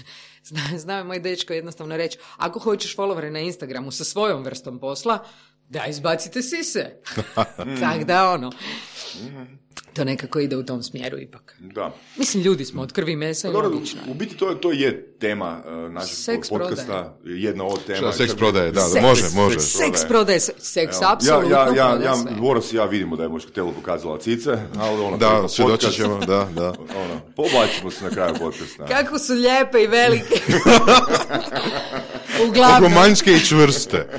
Zna, zna moj dečko jednostavno reći, ako hoćeš followere na Instagramu sa svojom vrstom posla, da izbacite sise. Tak da ono. To nekako ide u tom smjeru ipak. Da. Mislim, ljudi smo od krvi mesa i logično. U biti to, to je tema uh, našeg seks podcasta, prodaje. Jedna od tema. Seks prodaje, da, da, može, može. Seks prodaje, seks apsolutno ja, ja, ja, prodaje ja, sve. Boros i ja vidimo da je Moškatelo pokazala cice, ali ono... Da, svjedočit ćemo, da, da. Ono, poblačimo se na kraju podcasta. Kako su lijepe i velike. Uglavnom. Kako manjske i čvrste.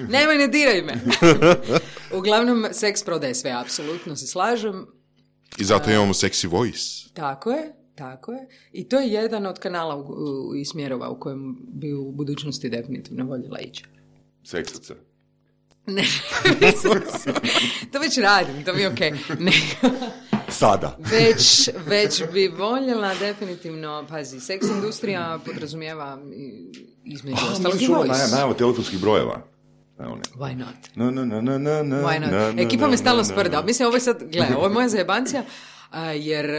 Nemoj, ne diraj me. Uglavnom, seks prodaje sve, apsolutno se slažem. I zato imamo sexy voice. Tako je, tako je. I to je jedan od kanala u, u, i smjerova u kojem bi u budućnosti definitivno voljela ići. Seksaca. Ne, to već radim, to mi je okej. Okay. Sada. Već, već bi voljela definitivno, pazi, seks industrija podrazumijeva između oh, ostalog i voice. Najavu telefonskih brojeva. Why not? No, no, no, no, no, Why not? no, no, Ekipa me stalno no, sprda. no. Mislim, ovo je sad, gledaj, ovo je moja zajebancija, jer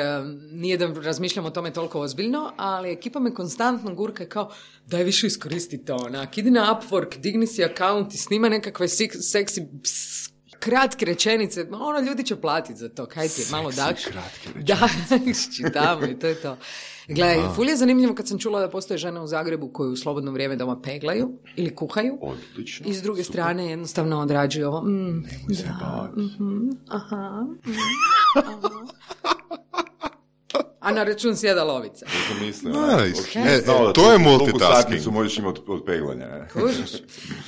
nije da razmišljam o tome toliko ozbiljno, ali ekipa me konstantno gurka kao, daj više iskoristi to, onak, idi na Upwork, digni si account i snima nekakve seksi kratke rečenice, ono, ljudi će platiti za to, kaj ti je, malo dakš. Da, čitamo i to je to. Gledaj, ful je zanimljivo kad sam čula da postoje žene u Zagrebu koje u slobodno vrijeme doma peglaju ili kuhaju. Odlično. I s druge super. strane jednostavno odrađuju ovo. Mm, da, mm-hmm, aha, mm, aha. A na račun sjeda lovica. To mislim. Nice. Okay. E, e, to je multitasking. Možeš imati od peglanja. Kužiš?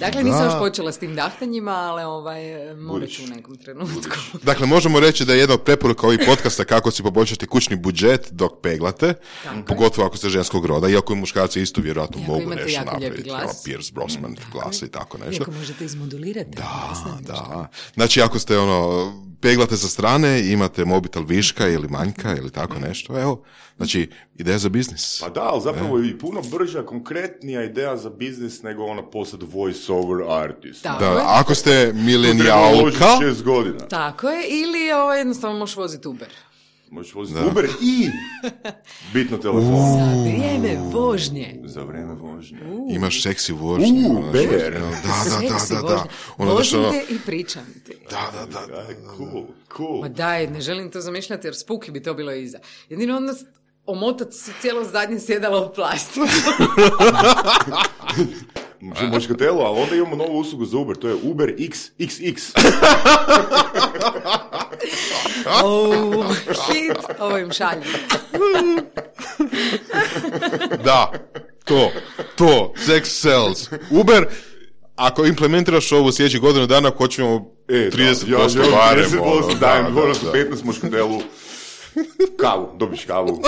Dakle, nisam još počela s tim dahtanjima, ali ovaj, morat ću u nekom trenutku. Budiš. Dakle, možemo reći da je jedna od preporuka ovih podcasta kako si poboljšati kućni budžet dok peglate, tako. Pogotovo ako ste ženskog roda, iako i muškarci isto vjerojatno iako mogu nešto napraviti. Glas. Pierce Brosnan mm, glas i tako nešto. Iako možete izmodulirati. Da, da. Znači, ako ste ono peglate sa strane, imate mobitel viška ili manjka ili tako nešto, evo, znači, ideja za biznis. Pa da, ali zapravo je i puno brža, konkretnija ideja za biznis nego ona postati voice over artist. Da, da, ako ste milenijalka... šest godina. Tako je, ili ovaj, jednostavno možeš voziti Uber. Možeš voziti da. Uber i bitno telefon. Uh. Za vrijeme vožnje. Za vrijeme vožnje. Uh. Imaš seksi vožnje. Uh, ber. Da, da, da, da, da. Vozim te i pričam ti. Da, da, da, da, da. Cool, cool. Ma daj, ne želim to zamišljati jer spuki bi to bilo iza. Jedino onda omotat si cijelo zadnje sjedalo u plastiku. Moškatelo, ali onda imamo novu uslugu za Uber, to je Uber iks iks iks. Oh, shit, ovo im šalje. Da, to, to, sex sells. Uber, ako implementiraš ovo sljedećih godinu dana, hoćemo e, trideset posto ja, barem. trideset posto dajem, moram su petnaest moškatelu. Kavu, dobiš kavu.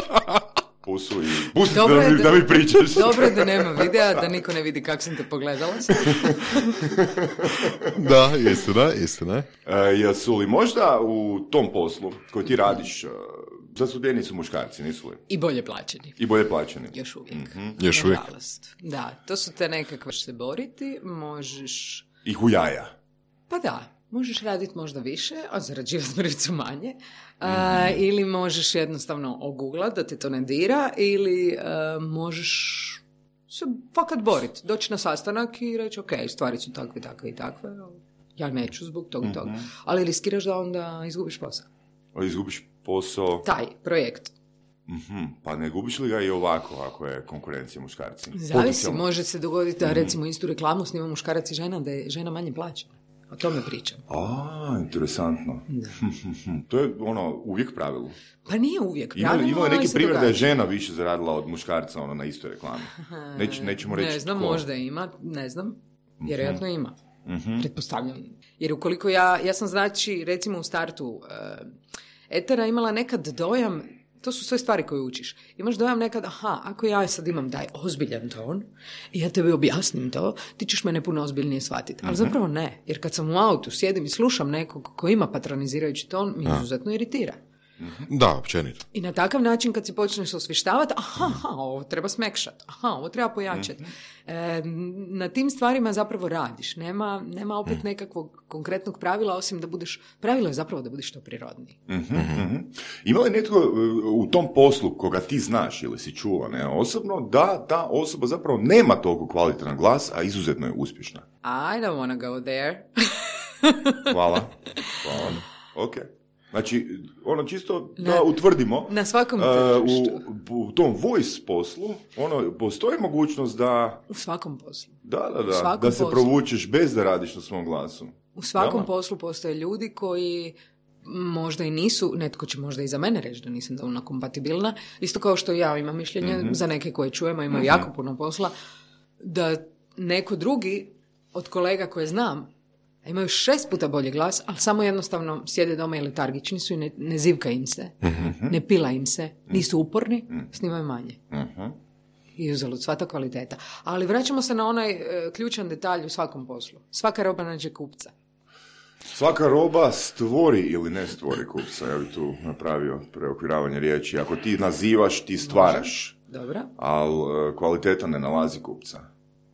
Pusu i pustite da, da, da mi pričaš. Dobro je da nema videa, da niko ne vidi kako sam te pogledala. Da, istina, istina. E, jesu li možda u tom poslu koji ti radiš, zastupljeni su muškarci, nisu li? I bolje plaćeni. I bolje plaćeni. Još uvijek. Mm-hmm. Još uvijek. Da, to su te nekakve se boriti, možeš... I hujaja. Pa da. Možeš raditi možda više, a zarađivati mrvicu manje. A, mm-hmm. Ili možeš jednostavno oguglat da te to ne dira, ili a, možeš se fakat boriti. Doći na sastanak i reći, ok, stvari su takve, takve i takve. Ja neću zbog toga, mm-hmm. toga. Ali riskiraš da onda izgubiš posao. A izgubiš posao? Taj projekt. Mm-hmm. Pa ne gubiš li ga i ovako ako je konkurencija muškarci? Zavisi, može se dogoditi da mm-hmm. recimo istu reklamu snima muškarac i žena, da je žena manje plaća. O tome pričam. A, interesantno. To je ono uvijek pravilo. Pa nije uvijek. Ima, ima neki primjer da je žena više zaradila od muškarca ono, na istoj reklami. Neć, nećemo reći ne znam, tko. Možda ima, ne znam. Vjerojatno ima. Mm-hmm. Pretpostavljam. Jer ukoliko ja, ja sam znači, recimo u startu uh, Etera imala nekad dojam, to su sve stvari koje učiš. Imaš dojam nekad, aha, ako ja sad imam taj ozbiljan ton i ja tebi objasnim to, ti ćeš mene puno ozbiljnije shvatiti. Ali mm-hmm. zapravo ne, jer kad sam u autu, sjedim i slušam nekog ko ima patronizirajući ton, mi izuzetno iritira. Mm-hmm. Da, općenito. I na takav način kad si počneš osvištavati, aha, aha, ovo treba smekšati, aha, ovo treba pojačati. Mm-hmm. E, na tim stvarima zapravo radiš. Nema, nema opet mm-hmm. nekakvog konkretnog pravila, osim da budeš, pravilo je zapravo da budeš što prirodniji. Mm-hmm. Mm-hmm. Ima li netko u tom poslu koga ti znaš ili si čuo, ne, osobno, da ta osoba zapravo nema toliko kvalitetan glas, a izuzetno je uspješna? I don't wanna go there. Hvala. Hvala. Ok. Znači, ono čisto da na, utvrdimo, na svakom uh, u, u tom voice poslu, ono, postoji mogućnost da... U svakom poslu. Da, da, da, da se poslu. provučeš bez da radiš na svom glasu. U svakom Jel? poslu postoje ljudi koji možda i nisu, netko će možda i za mene reći da nisam dovoljno kompatibilna, isto kao što ja imam mišljenje mm-hmm. za neke koje čujemo, imaju mm-hmm. jako puno posla, da neko drugi od kolega koje znam, imaju šest puta bolji glas, ali samo jednostavno sjede doma i letargični su i ne, ne zivka im se, mm-hmm. ne pila im se, nisu uporni, mm-hmm. snimaju manje. Mm-hmm. I uzalud, sva ta kvaliteta. Ali vraćamo se na onaj e, ključan detalj u svakom poslu. Svaka roba nađe kupca. Svaka roba stvori ili ne stvori kupca. Ja bih tu napravio preokviravanje riječi. Ako ti nazivaš, ti stvaraš. Dobro. Ali e, kvaliteta ne nalazi kupca.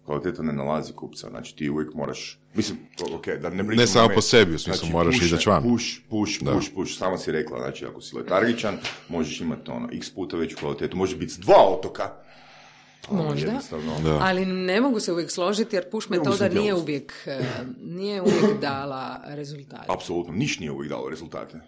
Kvaliteta ne nalazi kupca, znači ti uvijek moraš, mislim, ok, da ne Ne samo po sebi, u smislu znači, moraš izaći van. Push, push, push, push, push, sama si rekla, znači ako si letargičan, možeš imati ono, x puta veću kvalitetu, može biti s dva otoka. Možda, ali ne mogu se uvijek složiti jer push metoda nije uvijek, nije uvijek dala rezultate. Apsolutno, niš nije uvijek dalo rezultate.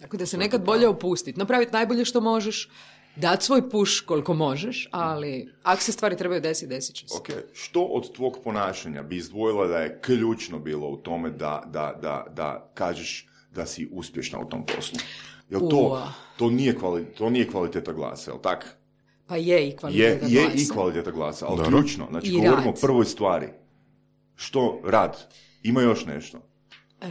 Tako da se nekad bolje opustiti, napraviti najbolje što možeš, dati svoj push koliko možeš, ali ako se stvari trebaju desiti, desit će se. Ok, što od tvog ponašanja bi izdvojila da je ključno bilo u tome da, da, da, da kažeš da si uspješna u tom poslu? Jel to, to, nije, kvali, to nije kvaliteta glasa, jel tak? Pa je i kvaliteta je, glasa. Je i kvaliteta glasa, ali Dobro. ključno, znači I govorimo rad. o prvoj stvari. Što rad? Ima još nešto?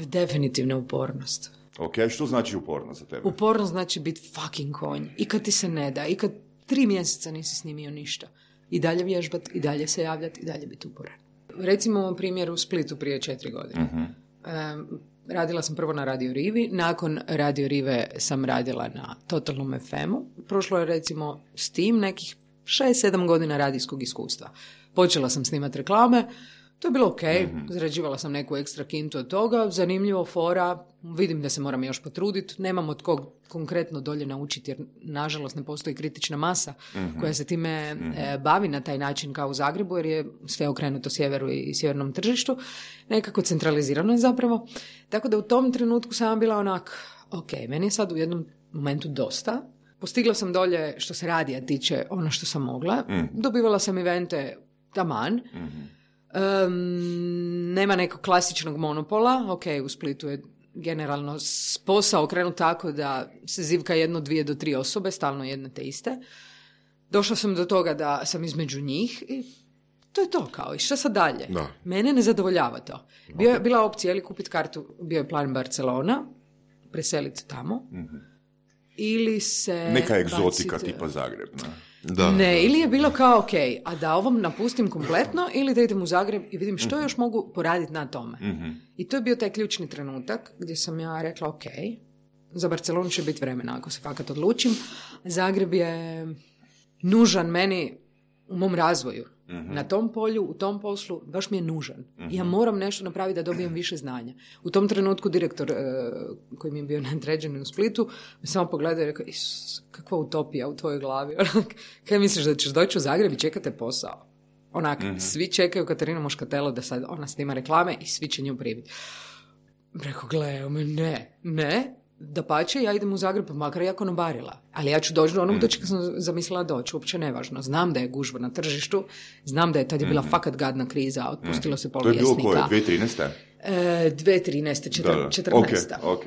Definitivno upornost. Ok, što znači upornost za tebe? Upornost znači biti fucking konj. I kad ti se ne da, i kad tri mjeseca nisi snimio ništa. I dalje vježbat, i dalje se javljati, i dalje biti uporan. Recimo u primjeru u Splitu prije četiri godine. Uh-huh. Um, radila sam prvo na Radio Rivi, nakon Radio Rive sam radila na Totalnom ef emu. Prošlo je recimo s tim nekih šest sedam godina radijskog iskustva. Počela sam snimati reklame, to je bilo ok, mm-hmm. zarađivala sam neku ekstra kintu od toga, zanimljivo, fora, vidim da se moram još potruditi, nemam od kog konkretno dolje naučiti jer nažalost ne postoji kritična masa mm-hmm. koja se time mm-hmm. e, bavi na taj način kao u Zagrebu jer je sve okrenuto sjeveru i sjevernom tržištu, nekako centralizirano je zapravo, tako da u tom trenutku sam bila onak, ok, meni je sad u jednom momentu dosta, postigla sam dolje što se radija tiče ono što sam mogla, mm-hmm. dobivala sam evente taman, mm-hmm. Um, nema nekog klasičnog monopola, ok, u Splitu je generalno posao okrenut tako da se zivka jedno, dvije do tri osobe, stalno jedne te iste. Došla sam do toga da sam između njih i to je to kao, i šta sad dalje? Da. Mene ne zadovoljava to. Bio je, bila opcija ili kupiti kartu, bio je plan Barcelona, preseliti tamo, mm-hmm. ili se... Neka egzotika baciti, tipa Zagreb, ne? Da, ne, da, ili je bilo kao ok, a da ovom napustim kompletno ili da idem u Zagreb i vidim što mm-hmm. još mogu poraditi na tome. Mm-hmm. I to je bio taj ključni trenutak gdje sam ja rekla ok, za Barcelonu će biti vremena ako se fakat odlučim. Zagreb je nužan meni u mom razvoju. Mm-hmm. Na tom polju, u tom poslu, baš mi je nužan. Mm-hmm. Ja moram nešto napraviti da dobijem više znanja. U tom trenutku direktor uh, koji mi je bio nadređen u Splitu me samo pogledao i rekao, Isus, kakva utopija u tvojoj glavi. Kaj misliš da ćeš doći u Zagreb i čekate posao? Onak, mm-hmm. svi čekaju Katarinu Moškatelo da sad ona snima reklame i svi će nju pribiti. Rekao, gledaj, ne, ne. Dapače, ja idem u Zagreb, makar ja konobarila. Ali ja ću doći do onog do čega sam zamislila doći, uopće nevažno. Znam da je gužva na tržištu, znam da je tad je bila mm-hmm. fakat gadna kriza, otpustilo se pol vjesnika. To je bilo koje, dvije tisuće trinaeste? E, dvije tisuće trinaeste, četrnaesta. Ok, ok.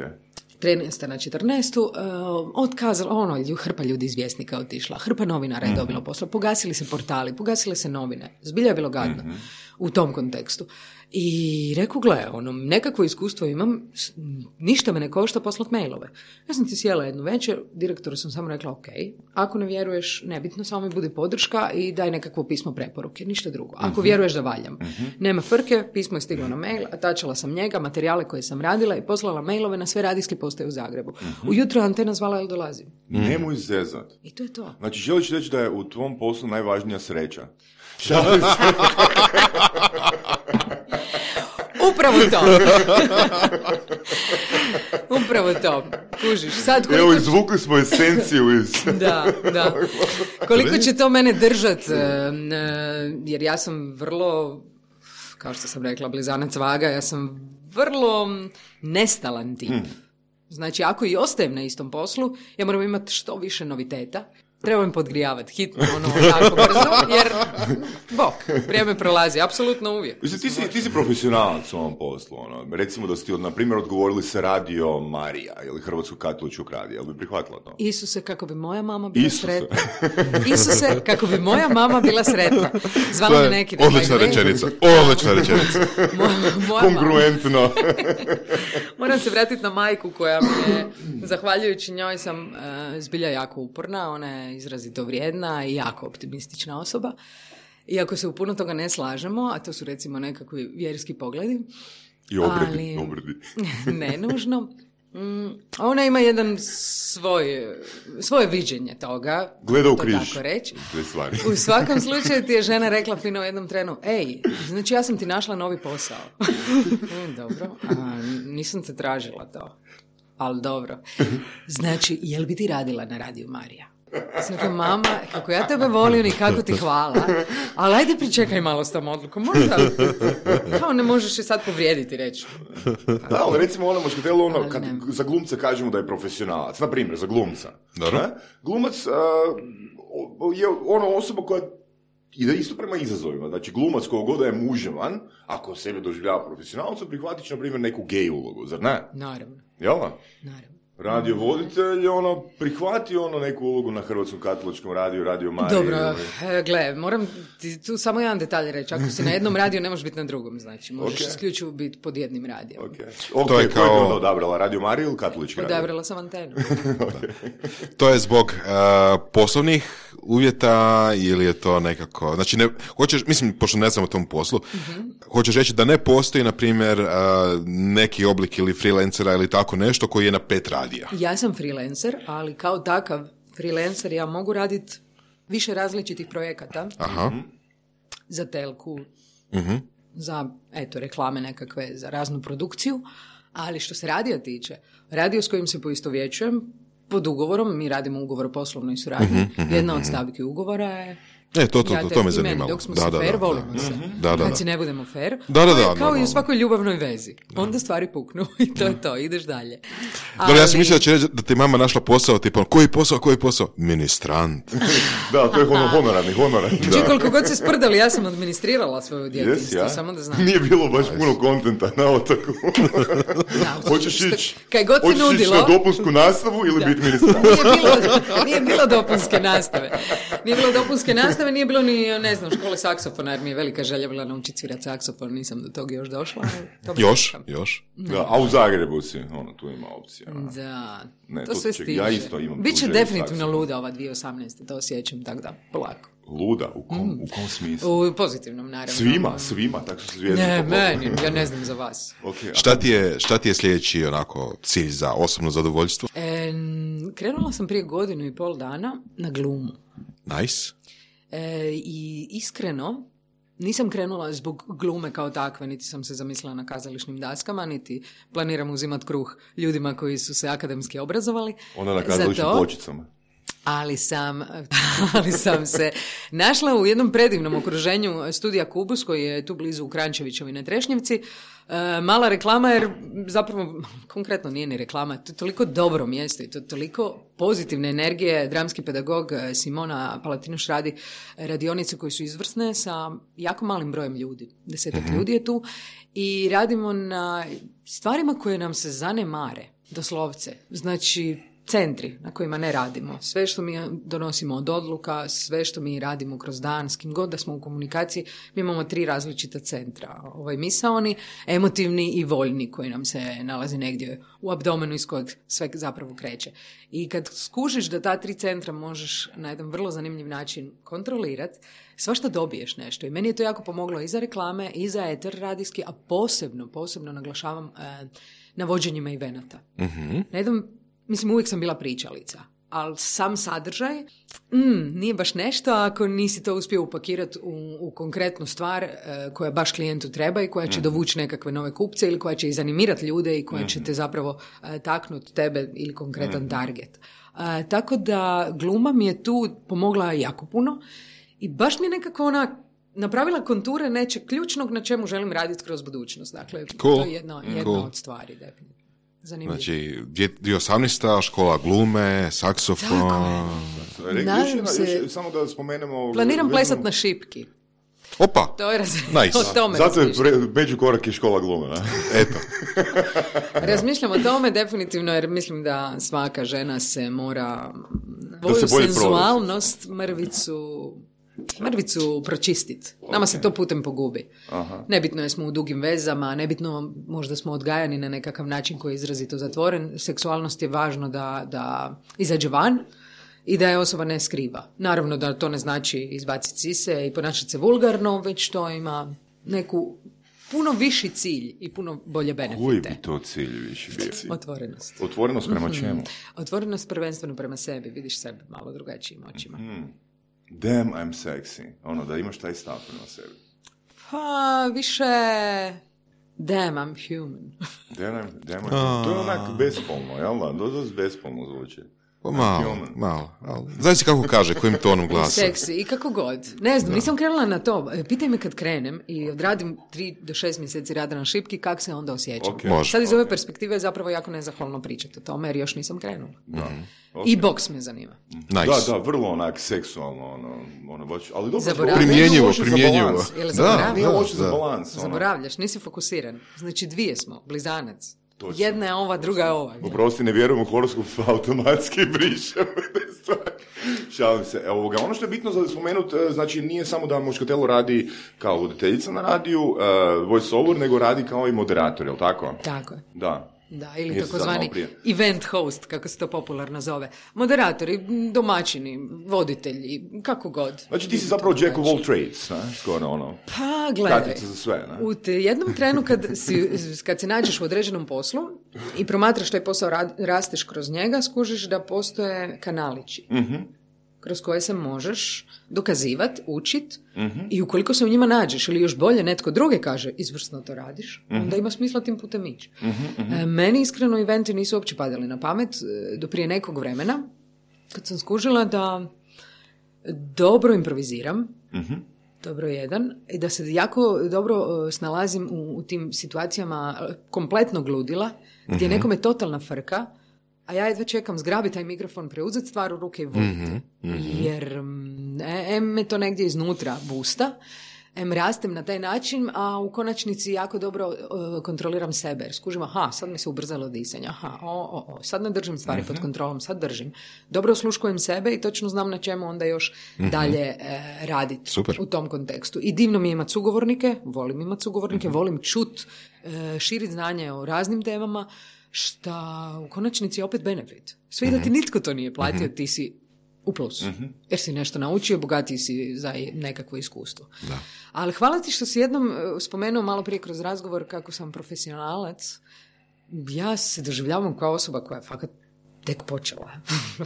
trinaesta na četrnaestu, uh, otkazala, ono, hrpa ljudi iz Vjesnika otišla, hrpa novinara je mm-hmm. dobila posla, pogasili se portali, pogasile se novine, zbilja je bilo gadno mm-hmm. u tom kontekstu. I reku, gle, ono, nekakvo iskustvo imam, ništa me ne košta poslat mailove. Ja sam ti sjela jednu večer, direktoru sam samo rekla, ok, ako ne vjeruješ, nebitno, samo mi budi podrška i daj nekakvo pismo preporuke, ništa drugo. Ako mm-hmm. vjeruješ da valjam. Mm-hmm. Nema frke, pismo je stiglo na mail, atačala sam njega, materijale koje sam radila i poslala mailove na sve radijske postaje u Zagrebu. Mm-hmm. Ujutro Antena zvala, jel dolazim? Mm. Nemoj zezat. I to je to. Znači, želiš reći da je u tvom poslu najvažnija sreća? Upravo to. Upravo to. Kužiš. Sad koliko... Evo, izvukli smo esenciju iz... Da, da. Koliko će to mene držat, jer ja sam vrlo, kao što sam rekla, blizanac vaga, ja sam vrlo nestalan tip. Hmm. Znači, ako i ostajem na istom poslu, ja moram imati što više noviteta. Treba mi podgrijavati hitno, ono, tako brzo, jer, bok, vrijeme prolazi, apsolutno uvijek. Mislim, ti si, ti si profesionalac u ovom poslu, ono. Recimo da ste, na primjer, odgovorili se Radio Marija ili Hrvatskog katoličkog radija, jel bi prihvatila to? Isuse, kako bi moja mama bila Isuse. sretna. Isuse, kako bi moja mama bila sretna. Zvala me neki... Odlična rečenica, odlična rečenica. Kongruentno. Moram se vratiti na majku koja mi je, zahvaljujući njoj sam uh, zbilja jako uporna, ona je izrazito vrijedna i jako optimistična osoba. Iako se u puno toga ne slažemo, a to su recimo nekakvi vjerski pogledi. I obredi. Ali, obredi. Ne nužno. Mm, ona ima jedan svoj, svoje viđenje toga. Gleda u križ. Tako reći. U svakom slučaju ti je žena rekla fino u jednom trenu, ej, znači ja sam ti našla novi posao. Dobro, a, nisam te tražila to. Ali dobro. Znači, jel bi ti radila na Radiju Marija? Znači, mama, kako ja tebe volim i kako ti hvala, ali ajde pričekaj malo s tom odlukom, možda, kao ne možeš i sad povrijediti reći. Da, ali recimo ono Moškatelo, ono, kad za glumca kažemo da je profesionalac, na primjer, za glumca. Dobro. Glumac uh, je ono osoba koja ide isto prema izazovima. Znači, glumac koga god je muževan, ako sebe doživljava profesionalcom, prihvatit će, na primjer, neku gej ulogu, zar ne? Naravno. Jel? Naravno. radio voditelj, ono, prihvati ono neku ulogu na Hrvatskom katoličkom radiju, Radio Mariji. Dobro, ili... gle, moram ti tu samo jedan detalj reći. Ako si na jednom radiju, ne možeš biti na drugom, znači. Možeš okay. isključivo biti pod jednim radijom. Okay. Okay, to je kao... Ko je onda odabrala, Radio Mariju ili katolički radio? Odabrala sam antenu. Okay. To je zbog uh, poslovnih uvjeta ili je to nekako... Znači, ne, hoćeš, mislim, pošto ne znam o tom poslu, uh-huh. hoćeš reći da ne postoji, na primjer, uh, neki oblik ili freelancera ili tako nešto koji je na pet radija. Ja sam freelancer, ali kao takav freelancer ja mogu raditi više različitih projekata. Aha. Za telku, uh-huh. za eto, reklame nekakve, za raznu produkciju, ali što se radija tiče, radio s kojim se poistovjećujem, pod ugovorom, mi radimo ugovor o poslovnoj suradnji, uh-huh. jedna od stavki ugovora je E, to, to, to, to me zanimalo. Dok smo da, se da, fair, da, volimo da, se. Da, da, da. Kad si ne budemo fair, da, da, da, kao da, i u da. svakoj ljubavnoj vezi. Onda stvari puknu i to je to, ideš dalje. Ali... Dobro, ja sam mislila da će reći da ti mama našla posao, tipa, koji posao, koji posao? Ministrant. Da, to je ono honorarni, honorarni. Znači, koliko god se sprdali, ja sam administrirala svoju djetinjstvo, yes, ja. samo da znam. Nije bilo baš puno kontenta na otoku. Hoćeš ići na dopunsku nastavu ili biti ministrant? Nije bilo, nije bilo dopunske nastave. Nije bilo dopunske nastave, nije bilo ni, ne znam, škole saksofona, jer mi je velika želja bila naučiti svirati saksofon, nisam do toga još došla. Još, sam. još. Da, a u Zagrebu si, ono, tu ima opcija. Da, ne, to, to sve ček, stiže. Ja isto imam. Biće definitivno saksofon. Luda ova dvije tisuće osamnaeste, to osjećam, tako da, polako. Luda? U kom, mm. u kom smislu? U pozitivnom, naravno. Svima, svima, tako su zvijezde. Ne, meni, ja ne znam za vas. Okay, šta, ti je, šta ti je sljedeći onako cilj za osobno zadovoljstvo? E, krenula sam prije godinu i pol dana na glumu. Nice. E, I iskreno, nisam krenula zbog glume kao takve, niti sam se zamislila na kazališnim daskama, niti planiram uzimat kruh ljudima koji su se akademski obrazovali. Onda na kazališnim pločicama. Ali sam, ali sam se našla u jednom predivnom okruženju studija Kubus, koji je tu blizu u Krančevićevi na Trešnjevci. E, mala reklama, jer zapravo konkretno nije ni reklama, to je toliko dobro mjesto i to toliko pozitivne energije. Dramski pedagog Simona Palatinoš radi radionice koje su izvrsne sa jako malim brojem ljudi. Desetak mm-hmm. ljudi je tu i radimo na stvarima koje nam se zanemare, doslovce. Znači, centri na kojima ne radimo. Sve što mi donosimo od odluka, sve što mi radimo kroz dan, s kim god da smo u komunikaciji, mi imamo tri različita centra. Ovaj misaoni, emotivni i voljni, koji nam se nalazi negdje u abdomenu iz kojeg sve zapravo kreće. I kad skužiš da ta tri centra možeš na jedan vrlo zanimljiv način kontrolirati, svašta dobiješ nešto. I meni je to jako pomoglo i za reklame, i za eter radijski, a posebno, posebno naglašavam eh, na vođenjima evenata. Mm-hmm. Na jednom Mislim, uvijek sam bila pričalica, ali sam sadržaj mm, nije baš nešto ako nisi to uspio upakirati u, u konkretnu stvar e, koja baš klijentu treba i koja će mm-hmm. dovući nekakve nove kupce ili koja će izanimirati ljude i koja mm-hmm. će te zapravo e, taknuti tebe ili konkretan mm-hmm. target. E, tako da gluma mi je tu pomogla jako puno i baš mi je nekako ona napravila konture nečeg ključnog na čemu želim raditi kroz budućnost. Dakle, cool. to je jedna, jedna cool. od stvari, definitivno. Zanimljivo. Znači, dvije tisuće osamnaesta škola glume, saksofon... Nadam se... Još, samo da spomenemo... Planiram plesat na šipki. Opa! To je raz... nice. o tome Zato je pre, među korak i škola glume, ne? Eto. Razmišljam o tome definitivno, jer mislim da svaka žena se mora svoju se senzualnost, mrvicu... mrvicu pročistiti. Nama okay. se to putem pogubi. Aha. Nebitno je smo u dugim vezama, nebitno možda smo odgajani na nekakav način koji je izrazito zatvoren. Seksualnost je važno da, da izađe van i da je osoba ne skriva. Naravno da to ne znači izbaciti sise i ponašati se vulgarno, već to ima neku puno viši cilj i puno bolje benefite. Koji bi to cilj viši bio? Otvorenost. Otvorenost prema čemu? Mm-hmm. Otvorenost prvenstveno prema sebi. Vidiš sebe malo drugačijim očima. Mm-hmm. Damn, I'm sexy. Ono, da imaš taj stav prema sebi. Pa, više... Damn, I'm human. Damn, damn, I'm... To je onak bespolno, jel da? Dosta bespolno zvuči. Pa malo, malo. Znaš si kako kaže, kojim tonom glasa. Seksi i kako god. Ne znam, da. Nisam krenula na to. Pitaj me kad krenem i odradim tri do šest mjeseci rada na šipki, kako se onda osjećam. Okay. Sad iz ove okay. perspektive je zapravo jako nezahvalno pričati o tome, jer još nisam krenula. Da. Okay. I boks me zanima. Nice. Da, da, vrlo onak seksualno, ono, ono baš, ali dobro, primjenjivo, primjenjivo. Da, nije loše za balans. Zaboravljaš, nisi fokusiran. Znači dvije smo, blizanac. Točno. Jedna je ova, druga je ova. Oprosti, ne vjerujem u horoskop, automatski brišem te stvari. Šalim se. Evo ga, ono što je bitno za spomenuti, znači nije samo da Moškatelo radi kao voditeljica na radiju, uh, voice over, nego radi kao i moderator, je li tako? Tako je. Da. Da, ili takozvani event host, kako se to popularno zove. Moderatori, domaćini, voditelji, kako god. Znači ti si zapravo Jack of all trades, ne? Skoro ono. Pa, gledaj. Katica za sve, ne? U jednom trenu kad, si, kad se nađeš u određenom poslu i promatraš taj posao, rasteš kroz njega, skužiš da postoje kanalići. Mhm. Kroz koje se možeš dokazivati, učit uh-huh. i ukoliko se u njima nađeš ili još bolje netko drugi kaže izvrsno to radiš, uh-huh. onda ima smisla tim putem ići. Uh-huh, uh-huh. E, meni iskreno eventi nisu uopće padali na pamet do prije nekog vremena kad sam skužila da dobro improviziram, uh-huh. dobro jedan, i da se jako dobro snalazim u, u tim situacijama kompletnog ludila gdje uh-huh. nekome totalna frka, a ja jedva čekam zgrabiti taj mikrofon, preuzeti stvar u ruke i voditi. Mm-hmm, mm-hmm. Jer em me to negdje iznutra busta, em rastem na taj način, a u konačnici jako dobro uh, kontroliram sebe. Jer skužim, aha, sad mi se ubrzalo disanje, aha, o, o, o, sad ne držim stvari mm-hmm. pod kontrolom, sad držim. Dobro osluškujem sebe i točno znam na čemu onda još mm-hmm. dalje uh, raditi u tom kontekstu. I divno mi je imati sugovornike, volim imati sugovornike, mm-hmm. volim čut, uh, širiti znanje o raznim temama, šta u konačnici je opet benefit. Sve da ti nitko to nije platio, ti si u plusu. Jer si nešto naučio, bogatiji si za nekakvo iskustvo. Da. Ali hvala ti što si jednom spomenuo malo prije kroz razgovor kako sam profesionalac. Ja se doživljavam kao osoba koja je fakat tek počela.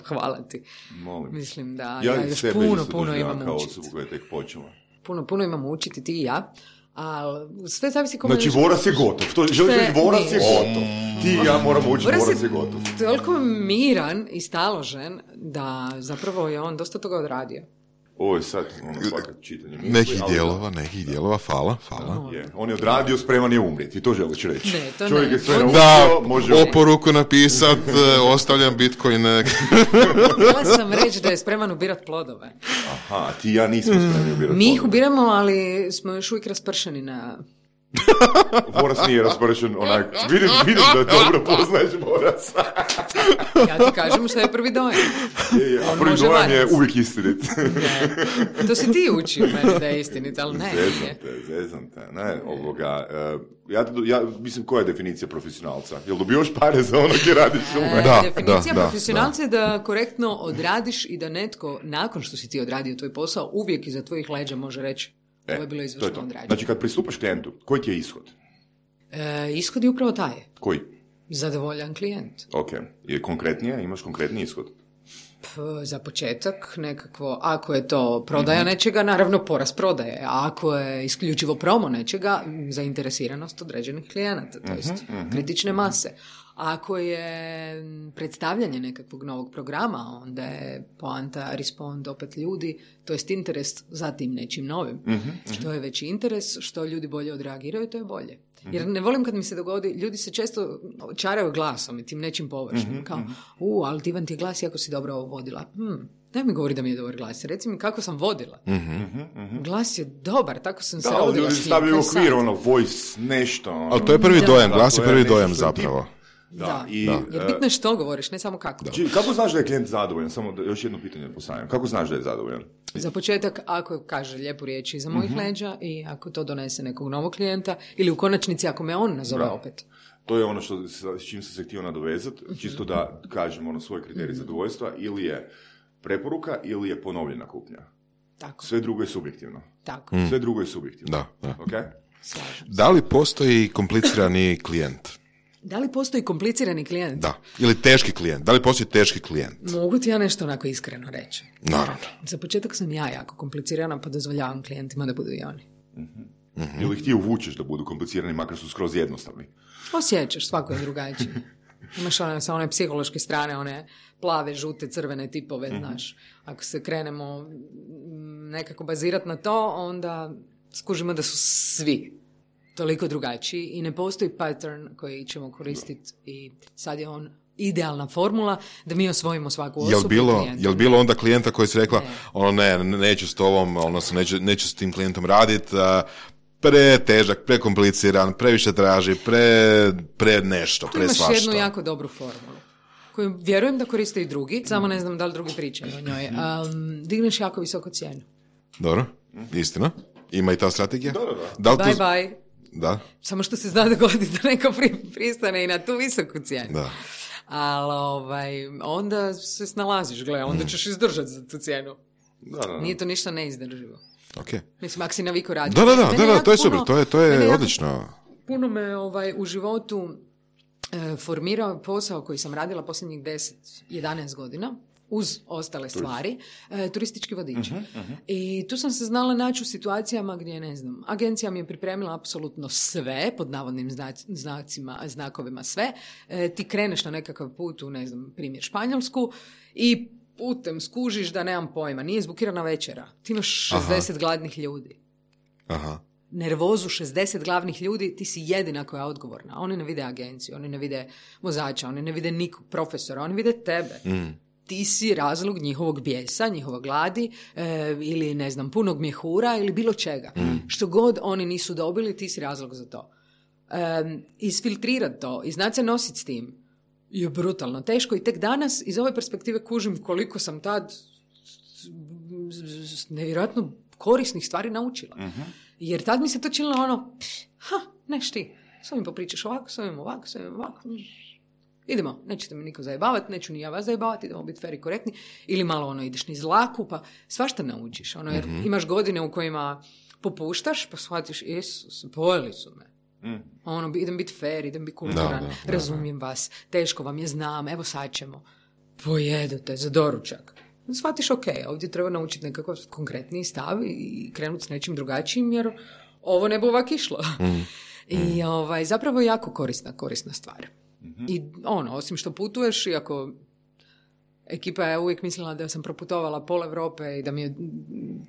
Hvala ti. Molim. Mislim da ja, ja još puno, puno imam učiti. Kao osobu koja je tek počela. Puno, puno imam učiti, ti i ja. Ali sve zavisi kome... Znači, voras je gotov. To želiš reći, voras je gotov. Ti i ja moramo učiti, voras, voras je gotov. Toliko miran i staložen da zapravo je on dosta toga odradio. Ovo je sad ono fakat čitanje. Misli, nekih dijelova, da. nekih dijelova, fala, fala. Je. On je odradio, spreman je umrijeti. I to želiš reći. Ne, to Čovjek ne. je sve da, može oporuku napisat, ostavljam Bitcoin. Htjela sam reći da je spreman ubirat plodove. Aha, ti i ja nismo spremni ubirat plodove. Mi ih ubiramo, ali smo još uvijek raspršeni na... Voras nije raspršen onak. Vidim, vidim da dobro poznaješ Voras. Ja ti kažem što je prvi dojam. Je, je, a prvi dojam je uvijek istinit. Ne. To si ti učio meni da je istinit, ali ne. Zezam te, zezam te. Ne, ovoga, uh, ja, ja mislim, koja je definicija profesionalca? Jel dobivaš pare za ono gdje radiš? E, da, definicija da, profesionalca da. je da korektno odradiš i da netko, nakon što si ti odradio tvoj posao, uvijek iza tvojih leđa može reći E, ovo je bilo izvršno odrađeno. Znači, kad pristupaš klijentu, koji ti je ishod? E, ishod je upravo taj. Koji? Zadovoljan klijent. Ok. Je konkretnije? Imaš konkretni ishod? P, za početak nekakvo, ako je to prodaja mm-hmm. nečega, naravno porast prodaje. A ako je isključivo promo nečega, zainteresiranost određenih klijenata, to jest mm-hmm. kritične mase. Ako je predstavljanje nekakvog novog programa, onda je poanta, respond opet ljudi, to jest interes za tim nečim novim. Mm-hmm. Što je veći interes, što ljudi bolje odreagiraju, to je bolje. Mm-hmm. Jer ne volim kad mi se dogodi, ljudi se često čaraju glasom i tim nečim površnim. Mm-hmm. Kao, u, ali divan ti je glas iako si dobro ovo vodila. Hmm. Daj mi govori da mi je dobar glas. Reci mi kako sam vodila. Mm-hmm. Glas je dobar, tako sam se da, rodila. Da, ljudi stavljaju u okvir, ono, voice, nešto. Ono. Ali to je prvi da, dojam, glas je prvi dojam zapravo. Da, da. I, da. Jer bitno je što govoriš, ne samo kako. Da. Či, kako znaš da je klijent zadovoljan? Samo da, još jedno pitanje postavljam. Kako znaš da je zadovoljan? Za početak, ako kaže lijepu riječ iza mojih mm-hmm. leđa i ako to donese nekog novog klijenta ili u konačnici ako me on nazove Bra. opet. To je ono što, s čim sam se htio nadovezati, čisto da kažem ono svoje kriterije mm-hmm. zadovoljstva, ili je preporuka ili je ponovljena kupnja. Tako. Sve drugo je subjektivno. Tako. Mm. Sve drugo je subjektivno. Da, da. Okay? Da li postoji komplicirani klijent? Da li postoji komplicirani klijent? Da. Ili teški klijent. Da li postoji teški klijent? Mogu ti ja nešto onako iskreno reći. Naravno. Za početak sam ja jako komplicirana, pa dozvoljavam klijentima da budu i oni. Mm-hmm. Mm-hmm. Ili ih ti uvučeš da budu komplicirani, makar su skroz jednostavni? Osjećaš, svako je drugačiji. Imaš one, sa one psihološke strane, one plave, žute, crvene tipove, mm-hmm. znaš. Ako se krenemo nekako bazirati na to, onda skužimo da su svi toliko drugačiji i ne postoji pattern koji ćemo koristiti i sad je on idealna formula da mi osvojimo svaku osobu. Jel bilo, jel bilo onda klijenta koji se rekla ne. ono ne, neću s tobom, ono neću, neću s tim klijentom raditi, uh, pretežak, prekompliciran, previše traži, pre, pre nešto, pre svašta. Tu imaš jednu jako dobru formulu, koju vjerujem da koriste i drugi, samo ne znam da li drugi pričaju o njoj. Um, digneš jako visoko cijenu. Dobro, istina. Ima i ta strategija? Da, da, da. Bye, to... bye. Da. Samo što se zna dogoditi da neko pri, pristane i na tu visoku cijenu. Da. Ali ovaj, onda se snalaziš, gle, onda ćeš izdržati za tu cijenu. Da, da, da. Nije to ništa neizdrživo. Okay. Mislim, ako si naviku raditi. Da, da, da, da, da to je super, to je, to je odlično. Puno me ovaj, u životu e, formirao posao koji sam radila posljednjih deset jedanaest godina, uz ostale stvari, e, turistički vodič. Uh-huh, uh-huh. I tu sam se znala naći u situacijama gdje, ne znam, agencija mi je pripremila apsolutno sve, pod navodnim znac, znacima, znakovima sve. E, ti kreneš na nekakav put u, ne znam, primjer Španjolsku i putem skužiš da nemam pojma, nije zbukirana večera. Ti imaš šezdeset Aha. gladnih ljudi. Aha. Nervozu šezdeset glavnih ljudi, ti si jedina koja je odgovorna. Oni ne vide agenciju, oni ne vide vozača, oni ne vide nikog profesora, oni vide tebe. Mm. Ti si razlog njihovog bijesa, njihova gladi e, ili, ne znam, punog mjehura ili bilo čega. Mm. Što god oni nisu dobili, ti si razlog za to. E, isfiltrirati to i znati se nositi s tim je brutalno teško i tek danas iz ove perspektive kužim koliko sam tad nevjerojatno korisnih stvari naučila. Uh-huh. Jer tad mi se to činilo ono, ha, neš ti, s ovim popričaš ovako, s ovim ovako, s ovim ovako. Idemo, nećete mi niko zajebavati, neću ni ja vas zajebavati, idemo biti fer i korektni. Ili malo ono, ideš niz laku, pa svašta naučiš. Ono, jer uh-huh. imaš godine u kojima popuštaš, pa shvatiš, Isus, pojeli su me. Mm. Ono, idem biti fair, idem biti kulturan, razumijem vas, teško vam je, znam, evo sad ćemo. Pojedu te za doručak. Shvatiš, ok, ovdje treba naučiti nekakav konkretniji stav i krenuti s nečim drugačijim, jer ovo ne bi ovak išlo. Mm. I ovaj, zapravo jako korisna, korisna stvar. Mm-hmm. I ono, osim što putuješ, iako ekipa je uvijek mislila da sam proputovala pol Europe i da mi je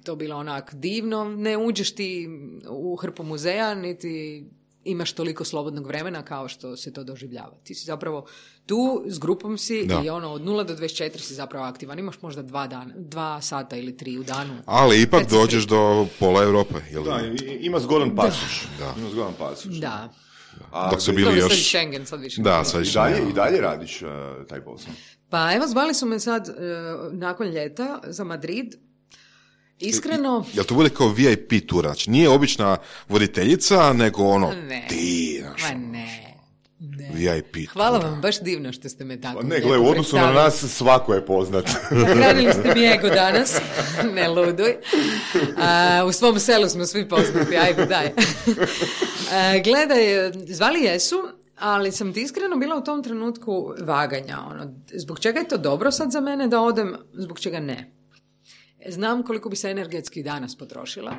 to bilo onak divno, ne uđeš ti u hrpu muzeja, niti imaš toliko slobodnog vremena kao što se to doživljava. Ti si zapravo tu, s grupom si da. I ono, od nula do dvadeset četiri si zapravo aktivan. Imaš možda dva dana, dva sata ili tri u danu. Ali ipak dođeš do pola Europe. Jel? Da, ima zgodan pasuš. Da. Ima zgodan pasuš. Da. A, dok su bili još... Sad Schengen, sad više. Da, sad I dalje, i dalje radiš uh, taj posao? Pa evo, zvali su me sad uh, nakon ljeta za Madrid. Iskreno... Jel to bude kao V I P tura? Znači, nije obična voditeljica, nego ono, ne. ti, znaš, Ma ne. ne. V I P Hvala tura. vam, baš divno što ste me tako... Ne, gle, u odnosu na nas svako je poznat. Nahranili ste mi ego danas, ne luduj. A, u svom selu smo svi poznati, ajde, daj. A, gledaj, zvali jesu, ali sam ti iskreno bila u tom trenutku vaganja. Ono, zbog čega je to dobro sad za mene da odem, zbog čega ne. Znam koliko bi se energetski danas potrošila,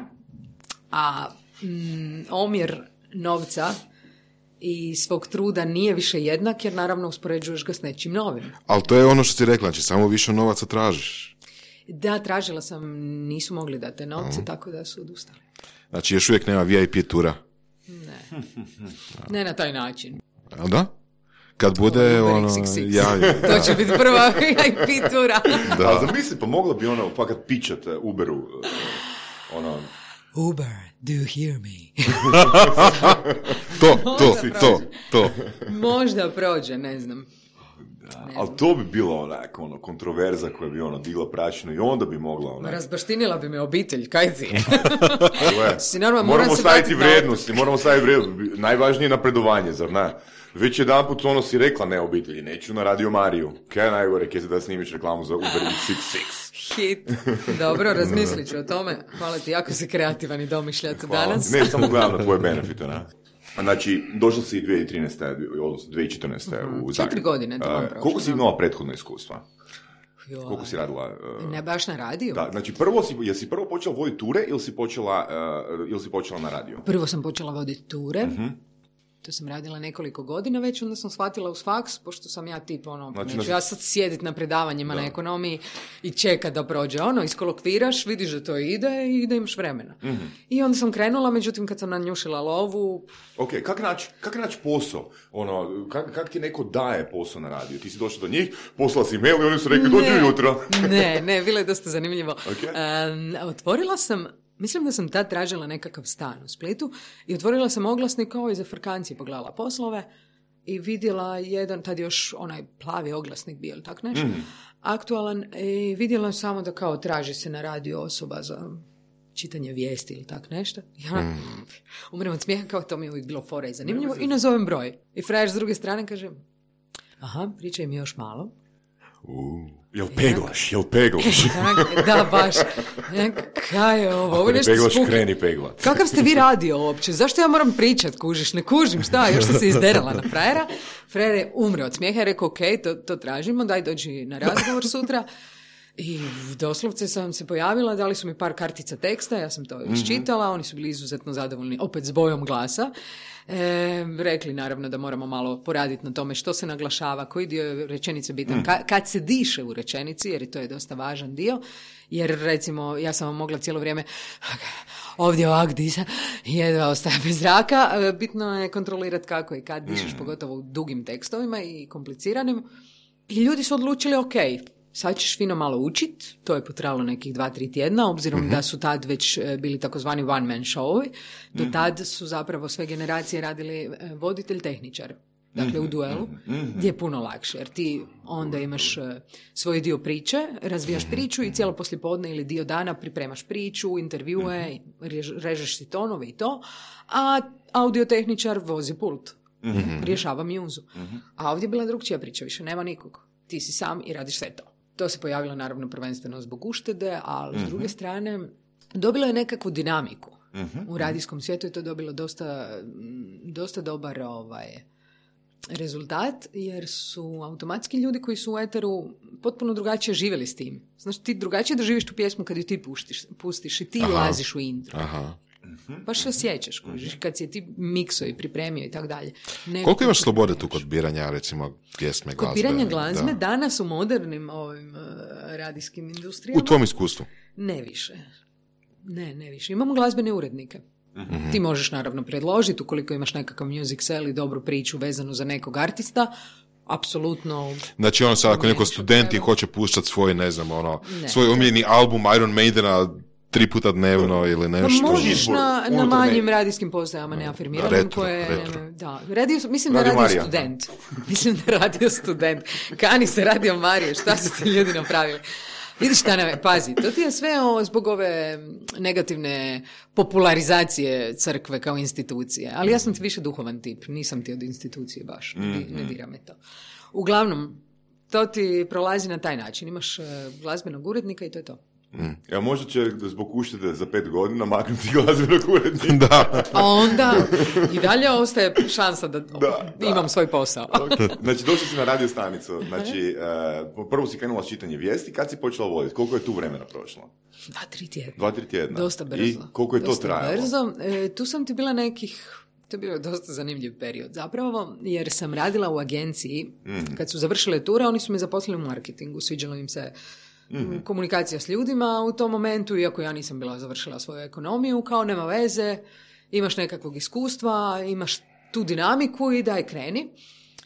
a mm, omjer novca i svog truda nije više jednak, jer naravno uspoređuješ ga s nečim novim. Ali to je ono što ti rekla, znači samo više novaca tražiš. Da, tražila sam, nisu mogli dati te novce, mm. tako da su odustali. Znači još uvijek nema V I P tura? Ne, ne na taj način. A da? Kad bude ono... Ja, ja. To će biti prva V I P tura. Da. A zamisli, pa mogla bi ono fakat pičat Uberu. Ono... Uber, do you hear me? to, to, to, to. Možda prođe, ne znam. Da, ali to bi bilo onak, ono, kontroverza koja bi ono digla prašinu i onda bi mogla onak... Razbaštinila bi me obitelj, kaj ti? si normal, moramo staviti vrijednosti, moramo staviti vrijednosti. Najvažnije je napredovanje, zar ne? Već jedan put ono si rekla ne obitelji, neću na Radio Mariju. Kaj je najgore, kaj se da snimiš reklamu za Uber X šezdeset šest? Hit. Dobro, razmislit ću o tome. Hvala ti, jako si kreativan i domišljat danas. Ne, samo gledam na tvoje benefite, ne? Znači, došla si dvije tisuće trinaeste. odnosno dvije tisuće četrnaeste. Uh-huh. u Zagreb. Četiri godine to vam prošlo. Koliko si imala prethodno iskustva? Joj. Koliko si radila? Uh, ne baš na radiju? Da, znači prvo si, jesi prvo počela voditi ture ili si počela, uh, ili si počela na radiju? Prvo sam počela voditi ture. Uh-huh. To sam radila nekoliko godina već, onda sam shvatila uz faks, pošto sam ja tip, ono, znači, neću ja sad sjediti na predavanjima da. Na ekonomiji i čekat da prođe, ono, iskolokviraš, vidiš da to ide i da imaš vremena. Mm-hmm. I onda sam krenula, međutim, kad sam nanjušila lovu... Ok, kak naći kak naći posao? Ono, kak, kak ti neko daje posao na radiju? Ti si došla do njih, poslala si mail i oni su rekli, dođu jutro. ne, ne, bilo je dosta zanimljivo. Okay. Um, otvorila sam Mislim da sam tad tražila nekakav stan u Splitu i otvorila sam oglasnik kao i za frkanci, pogledala poslove i vidjela jedan, tad još onaj plavi oglasnik bio ili tak nešto, mm. aktualan, i vidjela samo da kao traži se na radio osoba za čitanje vijesti ili tak nešto. Ja mm. umrem od smijeha, kao to mi je uvijek bilo fora i zanimljivo, i nazovem broj. I frajer s druge strane kaže, aha, pričaj mi još malo. Uh, jel peglaš, jel peglaš? Da, baš. Kaj je ovo? Ovo nešto peglaš, kreni peglat. Kakav ste vi radio uopće? Zašto ja moram pričat, kužiš? Ne kužim, šta? Još sam se izderala na frajera. Frajer je umre od smijeha i rekao, ok, to, to tražimo, daj dođi na razgovor sutra. I doslovce sam se pojavila, dali su mi par kartica teksta, ja sam to iščitala, mm-hmm. oni su bili izuzetno zadovoljni, opet s bojom glasa. E, rekli naravno da moramo malo poraditi na tome što se naglašava, koji dio je rečenice bitan, mm. Ka, kad se diše u rečenici, jer to je dosta važan dio, jer recimo ja sam vam mogla cijelo vrijeme ovdje ovak disa, jedva ostaje bez zraka, bitno je kontrolirati kako i kad dišeš, mm. pogotovo u dugim tekstovima i kompliciranim. I ljudi su odlučili, ok, sad ćeš fino malo učit, to je potrajalo nekih dva, tri tjedna, obzirom mm-hmm. da su tad već bili takozvani one man showovi. Do tad su zapravo sve generacije radili voditelj, tehničar. Dakle, mm-hmm. u duelu, mm-hmm. gdje je puno lakše, jer ti onda imaš svoj dio priče, razvijaš priču i cijelo poslijepodne ili dio dana pripremaš priču, intervjue, mm-hmm. režeš si tonove i to, a audiotehničar vozi pult, mm-hmm. rješava mjuzu. Mm-hmm. A ovdje je bila drugčija priča, više nema nikog. Ti si sam i radiš sve to. To se pojavilo naravno prvenstveno zbog uštede, ali s druge strane dobilo je nekakvu dinamiku. Uh-huh. U radijskom svijetu je to dobilo dosta, dosta dobar ovaj, rezultat, jer su automatski ljudi koji su u eteru potpuno drugačije živjeli s tim. Znaš, ti drugačije doživiš tu pjesmu kad ju ti puštiš, pustiš i ti Aha. laziš u intro. Aha. Baš se osjećaš, kužiš, kad si je ti mikso i pripremio i tako dalje. Koliko imaš slobode tu kod biranja, recimo, pjesme, glazbe? Kod biranja glazbe, da. Danas u modernim ovim uh, radijskim industrijama... U tvom iskustvu? Ne više. Ne, ne više. Imamo glazbene urednike. Mm-hmm. Ti možeš naravno predložiti, ukoliko imaš nekakav music sell i dobru priču vezanu za nekog artista, apsolutno... Znači, ono sad, ako neko student i hoće puštati svoj, ne znam, ono, ne, svoj omiljeni album Iron Maidena tri puta dnevno ili nešto. Pa možeš na, na manjim radijskim postajama neafirmiranim koje... Retro. Da, radio, mislim radio da radio student. Mislim da radio student. Kani se radio Marije, šta su ti ljudi napravili? Vidiš šta nam je, pazi, to ti je sve o, zbog ove negativne popularizacije crkve kao institucije. Ali ja sam ti više duhovan tip, nisam ti od institucije baš, ne, ne dira me to. Uglavnom, to ti prolazi na taj način. Imaš uh, glazbenog urednika i to je to. Mm. Ja, možda će zbog uštede za pet godina maknuti glazbenog urednika. Da. A onda i dalje ostaje šansa da, da imam da. svoj posao. Znači, došli si na radio stanicu. Znači, uh, prvo si krenula s čitanje vijesti. Kad si počela voditi? Koliko je tu vremena prošlo? Dva, tri tjedna. Dva, tri tjedna. Dosta brzo. I koliko je Dosta to trajalo? Brzo. E, tu sam ti bila nekih... To je bio dosta zanimljiv period zapravo, jer sam radila u agenciji. Mm. Kad su završile ture, oni su me zaposlili u marketingu. Sviđalo im se mm-hmm. komunikacija s ljudima u tom momentu, iako ja nisam bila završila svoju ekonomiju, kao nema veze, imaš nekakvog iskustva, imaš tu dinamiku i daj kreni.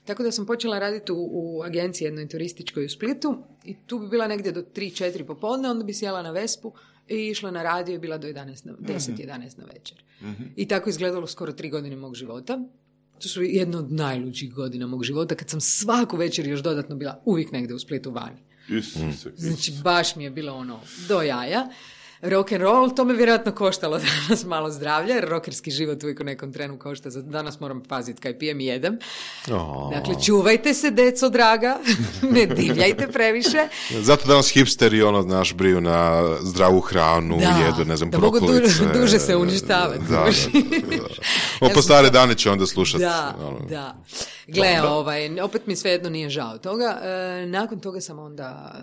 Tako da sam počela raditi u, u agenciji jednoj turističkoj u Splitu i tu bi bila negdje do tri četiri popodne, onda bi sjela na Vespu i išla na radio i bila do jedanaest, deset jedanaest na večer. Mm-hmm. I tako izgledalo skoro tri godine mog života. To su jedno od najluđih godina mog života, kad sam svaku večer još dodatno bila uvijek negdje u Splitu vani. Isuse, znači, baš mi je bilo ono do jaja. Rock and roll, to me vjerojatno koštalo danas malo zdravlja, jer rockerski život uvijek u nekom trenu košta. Danas moram paziti kaj pijem i jedem. Oh. Dakle, čuvajte se, deco draga, ne divljajte previše. Zato danas hipsteri, ono, znaš, briju na zdravu hranu, da, jedu, ne znam, da brokolice. Da mogu duže, duže se uništavati. Da, da, da, da. O, po stare dane će onda slušati. Da, ono. da. Gle, ovaj, opet mi svejedno nije žao toga. E, nakon toga sam onda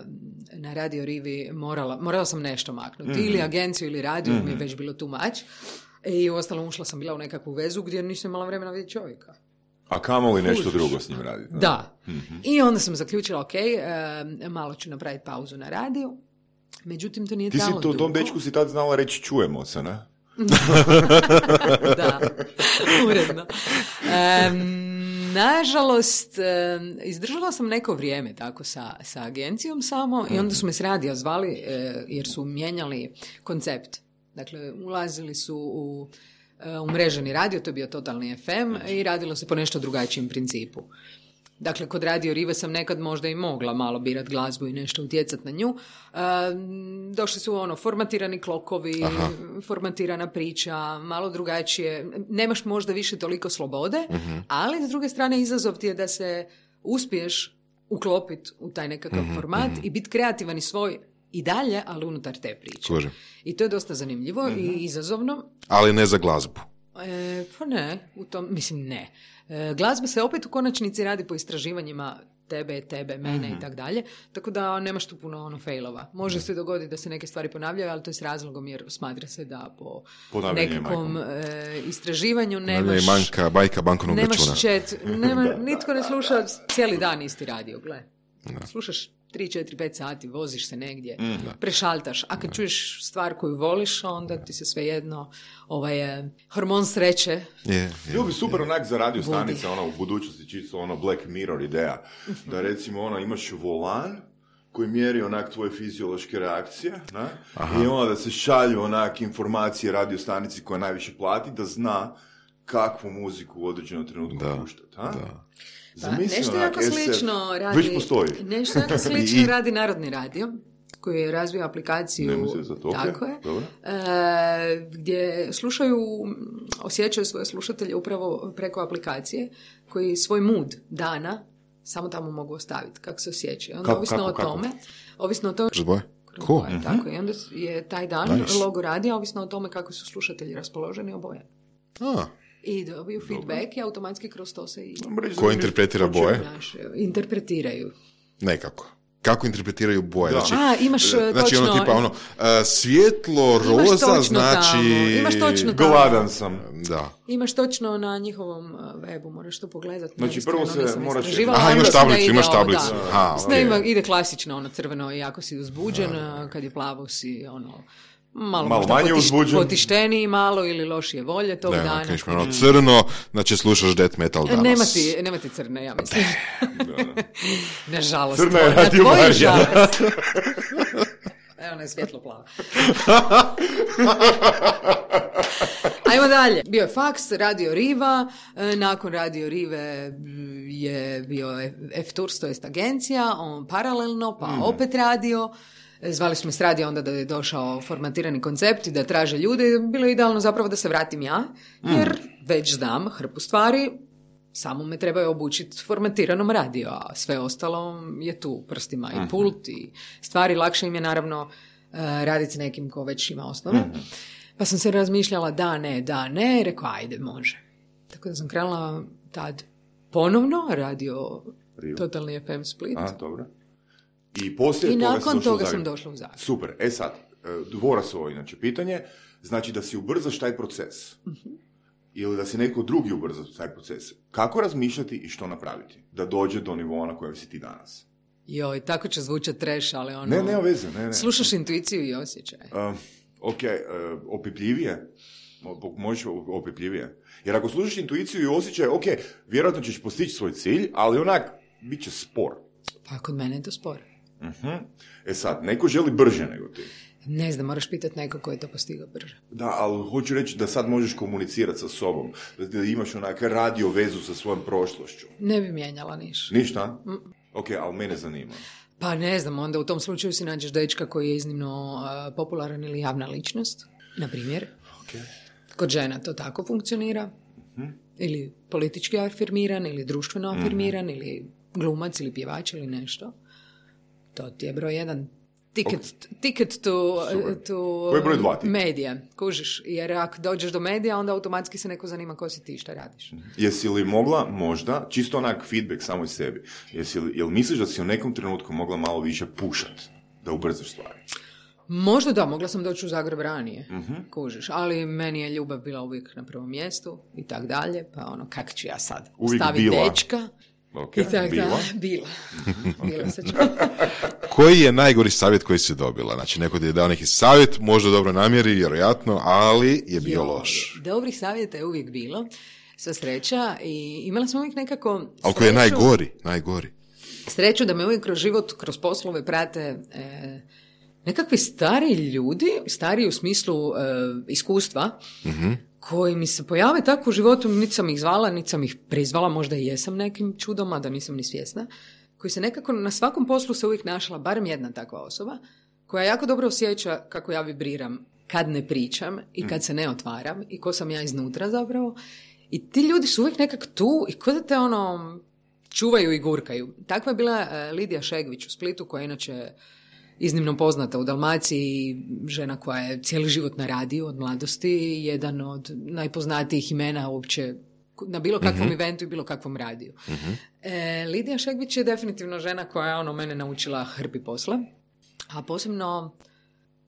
na Radio Rivi morala, morala sam nešto maknuti. Mm-hmm. Ili agenciju ili radio, mm-hmm. mi je već bilo too much. I uostalom ušla sam bila u nekakvu vezu gdje nisam imala vremena vidjeti čovjeka. A kamo li nešto drugo s njim raditi? Da. da. Mm-hmm. I onda sam zaključila, ok, e, malo ću napraviti pauzu na radiju. Međutim, to nije Ti trajalo dugo. Ti si tom dečku si tad znala reći čujemo se, ne? Da, uredno. Um, nažalost, um, izdržala sam neko vrijeme tako sa, sa agencijom samo i onda su me s radija zvali uh, jer su mijenjali koncept. Dakle, ulazili su u umreženi radio, to je bio totalni F M i radilo se po nešto drugačijem principu. Dakle, kod Radio Rive sam nekad možda i mogla malo birat glazbu i nešto utjecat na nju. E, došli su ono, formatirani klokovi, Aha. formatirana priča, malo drugačije. Nemaš možda više toliko slobode, uh-huh. ali s druge strane izazov ti je da se uspiješ uklopiti u taj nekakav uh-huh, format uh-huh. i biti kreativan i svoj i dalje, ali unutar te priče. Kužim. I to je dosta zanimljivo uh-huh. i izazovno. Ali ne za glazbu. E, pa ne, u tom, mislim ne. E, glazba se opet u konačnici radi po istraživanjima tebe, tebe, mene mm-hmm. i tak dalje, tako da nemaš tu puno ono failova. Može se dogoditi da se neke stvari ponavljaju, ali to je s razlogom jer smatra se da po Ponavljanje nekakvom e, istraživanju nemaš... Manjka, bajka bankovnog računa. Nemaš čet, nema, nitko ne sluša cijeli dan isti radio, gle. No. Slušaš tri, četiri, pet sati, voziš se negdje, mm, prešaltaš. A kad mm. čuješ stvar koju voliš, onda ti se svejedno ovaj, hormon sreće. Yeah, yeah, Bilo bi super yeah. onak za radio stanice, ono, u budućnosti čisto ono Black Mirror ideja. Da recimo ono, imaš volan koji mjeri onak tvoje fiziološke reakcije, na? I onda da se šalju onak informacije radio stanici koja najviše plati, da zna kakvu muziku u određenom trenutku puštati. Da. Pa, nešto jako slično radi, nešto jako slično radi Narodni radio, koji je razvio aplikaciju, to, tako je, e, gdje slušaju, osjećaju svoje slušatelje upravo preko aplikacije, koji svoj mood dana samo tamo mogu ostaviti, kako se osjećaju. Onda, kako, ovisno kako, o tome, kako? ovisno o tome, cool. boje, mm-hmm. tako, i onda je taj dan nice. Logo radija, ovisno o tome kako su slušatelji raspoloženi oboje. Ah. I dobiju feedback i automatski kroz to se i... Ko interpretira boje? Naš, interpretiraju. Nekako. Kako interpretiraju boje? Da. Znači, A, imaš znači, točno... ono tipa ono, uh, svjetlo, roza, znači... Tamo. Imaš točno tamo. Gladan sam. Da. Imaš točno na njihovom webu, moraš to pogledati. Znači, prvo se moraš... Aha, imaš tablicu, imaš tablicu. Aha, okay. Ima, ide klasično, ono crveno, jako si uzbuđen, da. Kad je plavo si, ono... Malo, malo manje uzbuđen. Potišteniji malo ili lošije volje tog da, dana. Da, ono crno, znači slušaš death metal danas. Nema ti, nema ti crne, ja mislim. Nažalost. Crna je radio Marija. Evo, ne, svjetlo plava. Ajmo dalje. Bio je faks, Radio Riva, nakon Radio Rive je bio F Tours, to jest agencija, on paralelno, pa mm. opet radio. Zvali smo s radija onda da je došao formatirani koncept i da traže ljude. Bilo je idealno zapravo da se vratim ja, jer mm. već znam hrpu stvari, samo me trebaju obučiti formatiranom radio, a sve ostalo je tu prstima i pult i stvari. Lakše im je naravno uh, raditi s nekim ko već ima osnove. Mm. Pa sam se razmišljala da, ne, da, ne, i rekao ajde, može. Tako da sam krenula tad ponovno radio Rio. Totalni F M Split. A, dobro. I poslije I toga nakon toga u sam došla u Zagreb. Super. E sad, dvorasovo inače pitanje, znači da si ubrzaš taj proces. Uh-huh. Ili da si neko drugi ubrza taj proces. Kako razmišljati i što napraviti? Da dođe do nivoa na kojem si ti danas. Joj, tako će zvučati trash, ali ono... Ne, ne, veze, ne, ne. Slušaš intuiciju i osjećaj. Uh, ok, uh, opipljivije. Možeš opipljivije. Jer ako slušaš intuiciju i osjećaj, ok, vjerojatno ćeš postići svoj cilj, ali onak, bit će spor. Pa kod mene je to spor. Uh-huh. E sad, neko želi brže nego ti. Ne znam, moraš pitati neko ko je to postigao brže. Da, ali hoću reći da sad možeš komunicirati sa sobom, da imaš onak radio vezu sa svojom prošlošću. Ne bi mijenjala ništa. Ništa? Mm. Ok, ali mene zanima. Pa ne znam, onda u tom slučaju si nađeš dečka koji je iznimno uh, popularan ili javna ličnost, na primjer. Okay. Kod žena to tako funkcionira. Uh-huh. Ili politički afirmiran, ili društveno afirmiran, uh-huh. ili glumac, ili pjevač, ili nešto. To ti je broj jedan. Ticket, okay. ticket to, to medija, kužiš, jer ako dođeš do medija, onda automatski se neko zanima ko si ti, šta radiš. Jesi li mogla možda, čisto onak feedback samo iz sebi, jesi li, jel misliš da si u nekom trenutku mogla malo više pušat, da ubrzaš stvari? Možda da, mogla sam doći u Zagreb ranije, uh-huh. kužiš, ali meni je ljubav bila uvijek na prvom mjestu i tak dalje, pa ono, kak ću ja sad staviti dečka? Okay. I tak bila? Da, bila. bila se Koji je najgori savjet koji si dobila? Znači, neko ti je dao neki savjet, možda dobro namjeri, vjerojatno, ali je bio jo, loš. Dobrih savjeta je uvijek bilo, sva sreća, i imala sam uvijek nekako sreću. Ali koji je najgori, najgori? Sreću da me uvijek kroz život, kroz poslove prate e, nekakvi stariji ljudi, stariji u smislu uh, iskustva, mm-hmm. koji mi se pojave tako u životu, niti sam ih zvala, niti sam ih prizvala, možda i jesam nekim čudom, a da nisam ni svjesna, koji se nekako na svakom poslu se uvijek našla, barem jedna takva osoba, koja jako dobro osjeća kako ja vibriram kad ne pričam i kad se ne otvaram i ko sam ja iznutra zapravo. I ti ljudi su uvijek nekak tu i ko da te ono čuvaju i gurkaju. Takva je bila uh, Lidija Šegvić u Splitu, koja je inače iznimno poznata u Dalmaciji, žena koja je cijeli život na radiju od mladosti, jedan od najpoznatijih imena uopće na bilo kakvom mm-hmm. eventu i bilo kakvom radiju. Mm-hmm. E, Lidija Šegvić je definitivno žena koja je ono mene naučila hrpi posla, a posebno,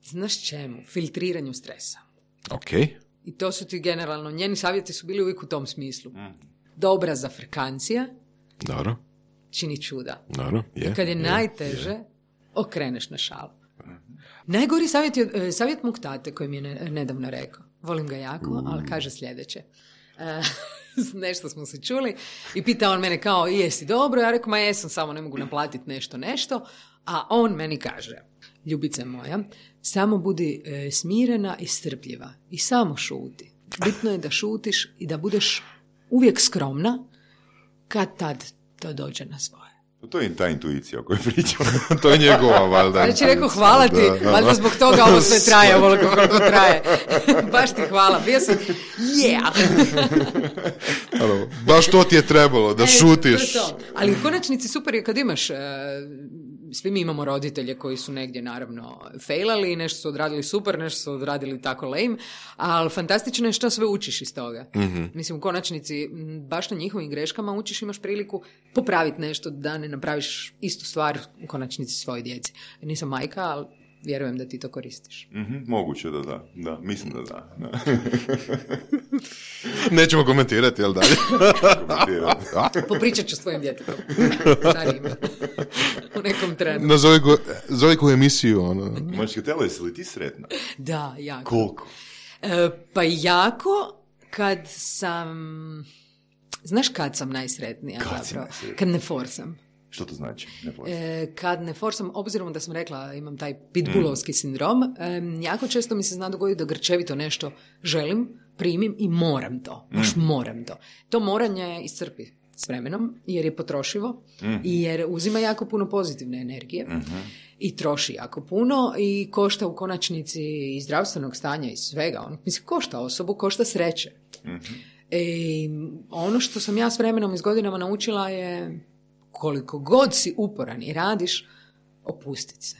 znaš čemu, filtriranju stresa. Ok. I to su ti generalno, njeni savjeti su bili uvijek u tom smislu. Mm. Dobra zafrkancija, dobro, čini čuda. Dobro, je. I kad je, je najteže, je. okreneš na šalu. Mm. Najgori savjet je savjet mog tate koji mi je nedavno rekao. Volim ga jako, mm. ali kaže sljedeće. E, nešto smo se čuli i pita on mene kao, jesi dobro? Ja rekao, ma jesam, samo ne mogu naplatiti nešto, nešto. A on meni kaže, ljubice moja, samo budi e, smirena i strpljiva i samo šuti. Bitno je da šutiš i da budeš uvijek skromna kad tad to dođe na svoje. To je ta intuicija o kojoj pričamo. To je njegova, valjda. Znači, rekao, hvala ti, da, da. Valjda zbog toga ovo sve traje, ovoliko koliko traje. Baš ti hvala, bio sam, yeah! Ano, baš to ti je trebalo, da e, šutiš. To to. Ali u konačnici super je kad imaš, uh, svi mi imamo roditelje koji su negdje naravno failali, nešto su odradili super, nešto su odradili tako lame, ali fantastično je što sve učiš iz toga. Mm-hmm. Mislim, u konačnici, baš na njihovim greškama učiš, imaš priliku popraviti nešto da ne napraviš istu stvar u konačnici svojoj djeci. Nisam majka, ali vjerujem da ti to koristiš. Mm-hmm, moguće da da, da, mislim da da. da. Nećemo komentirati, jel dalje? Popričat ću s tvojim djetetom. U nekom trenu. Nazovi ko, zove koju emisiju. Ono. Možeš telo, jesi li ti sretna? Da, jako. Koliko? E, pa jako kad sam... Znaš kad sam najsretnija? Kad zapravo? Najsretnija? Kad ne forsam. Što to znači? Ne e, kad ne forsam, obzirom da sam rekla imam taj pitbullovski mm. sindrom, e, jako često mi se zna dogoditi da grčevito nešto želim, primim i moram to. Baš mm. moram to. To moranje iscrpi s vremenom, jer je potrošivo mm. i jer uzima jako puno pozitivne energije mm-hmm. i troši jako puno i košta u konačnici i zdravstvenog stanja i svega. On, mislim, košta osobu, košta sreće. Mm-hmm. E, ono što sam ja s vremenom i s godinama naučila je koliko god si uporan i radiš, opustiti se.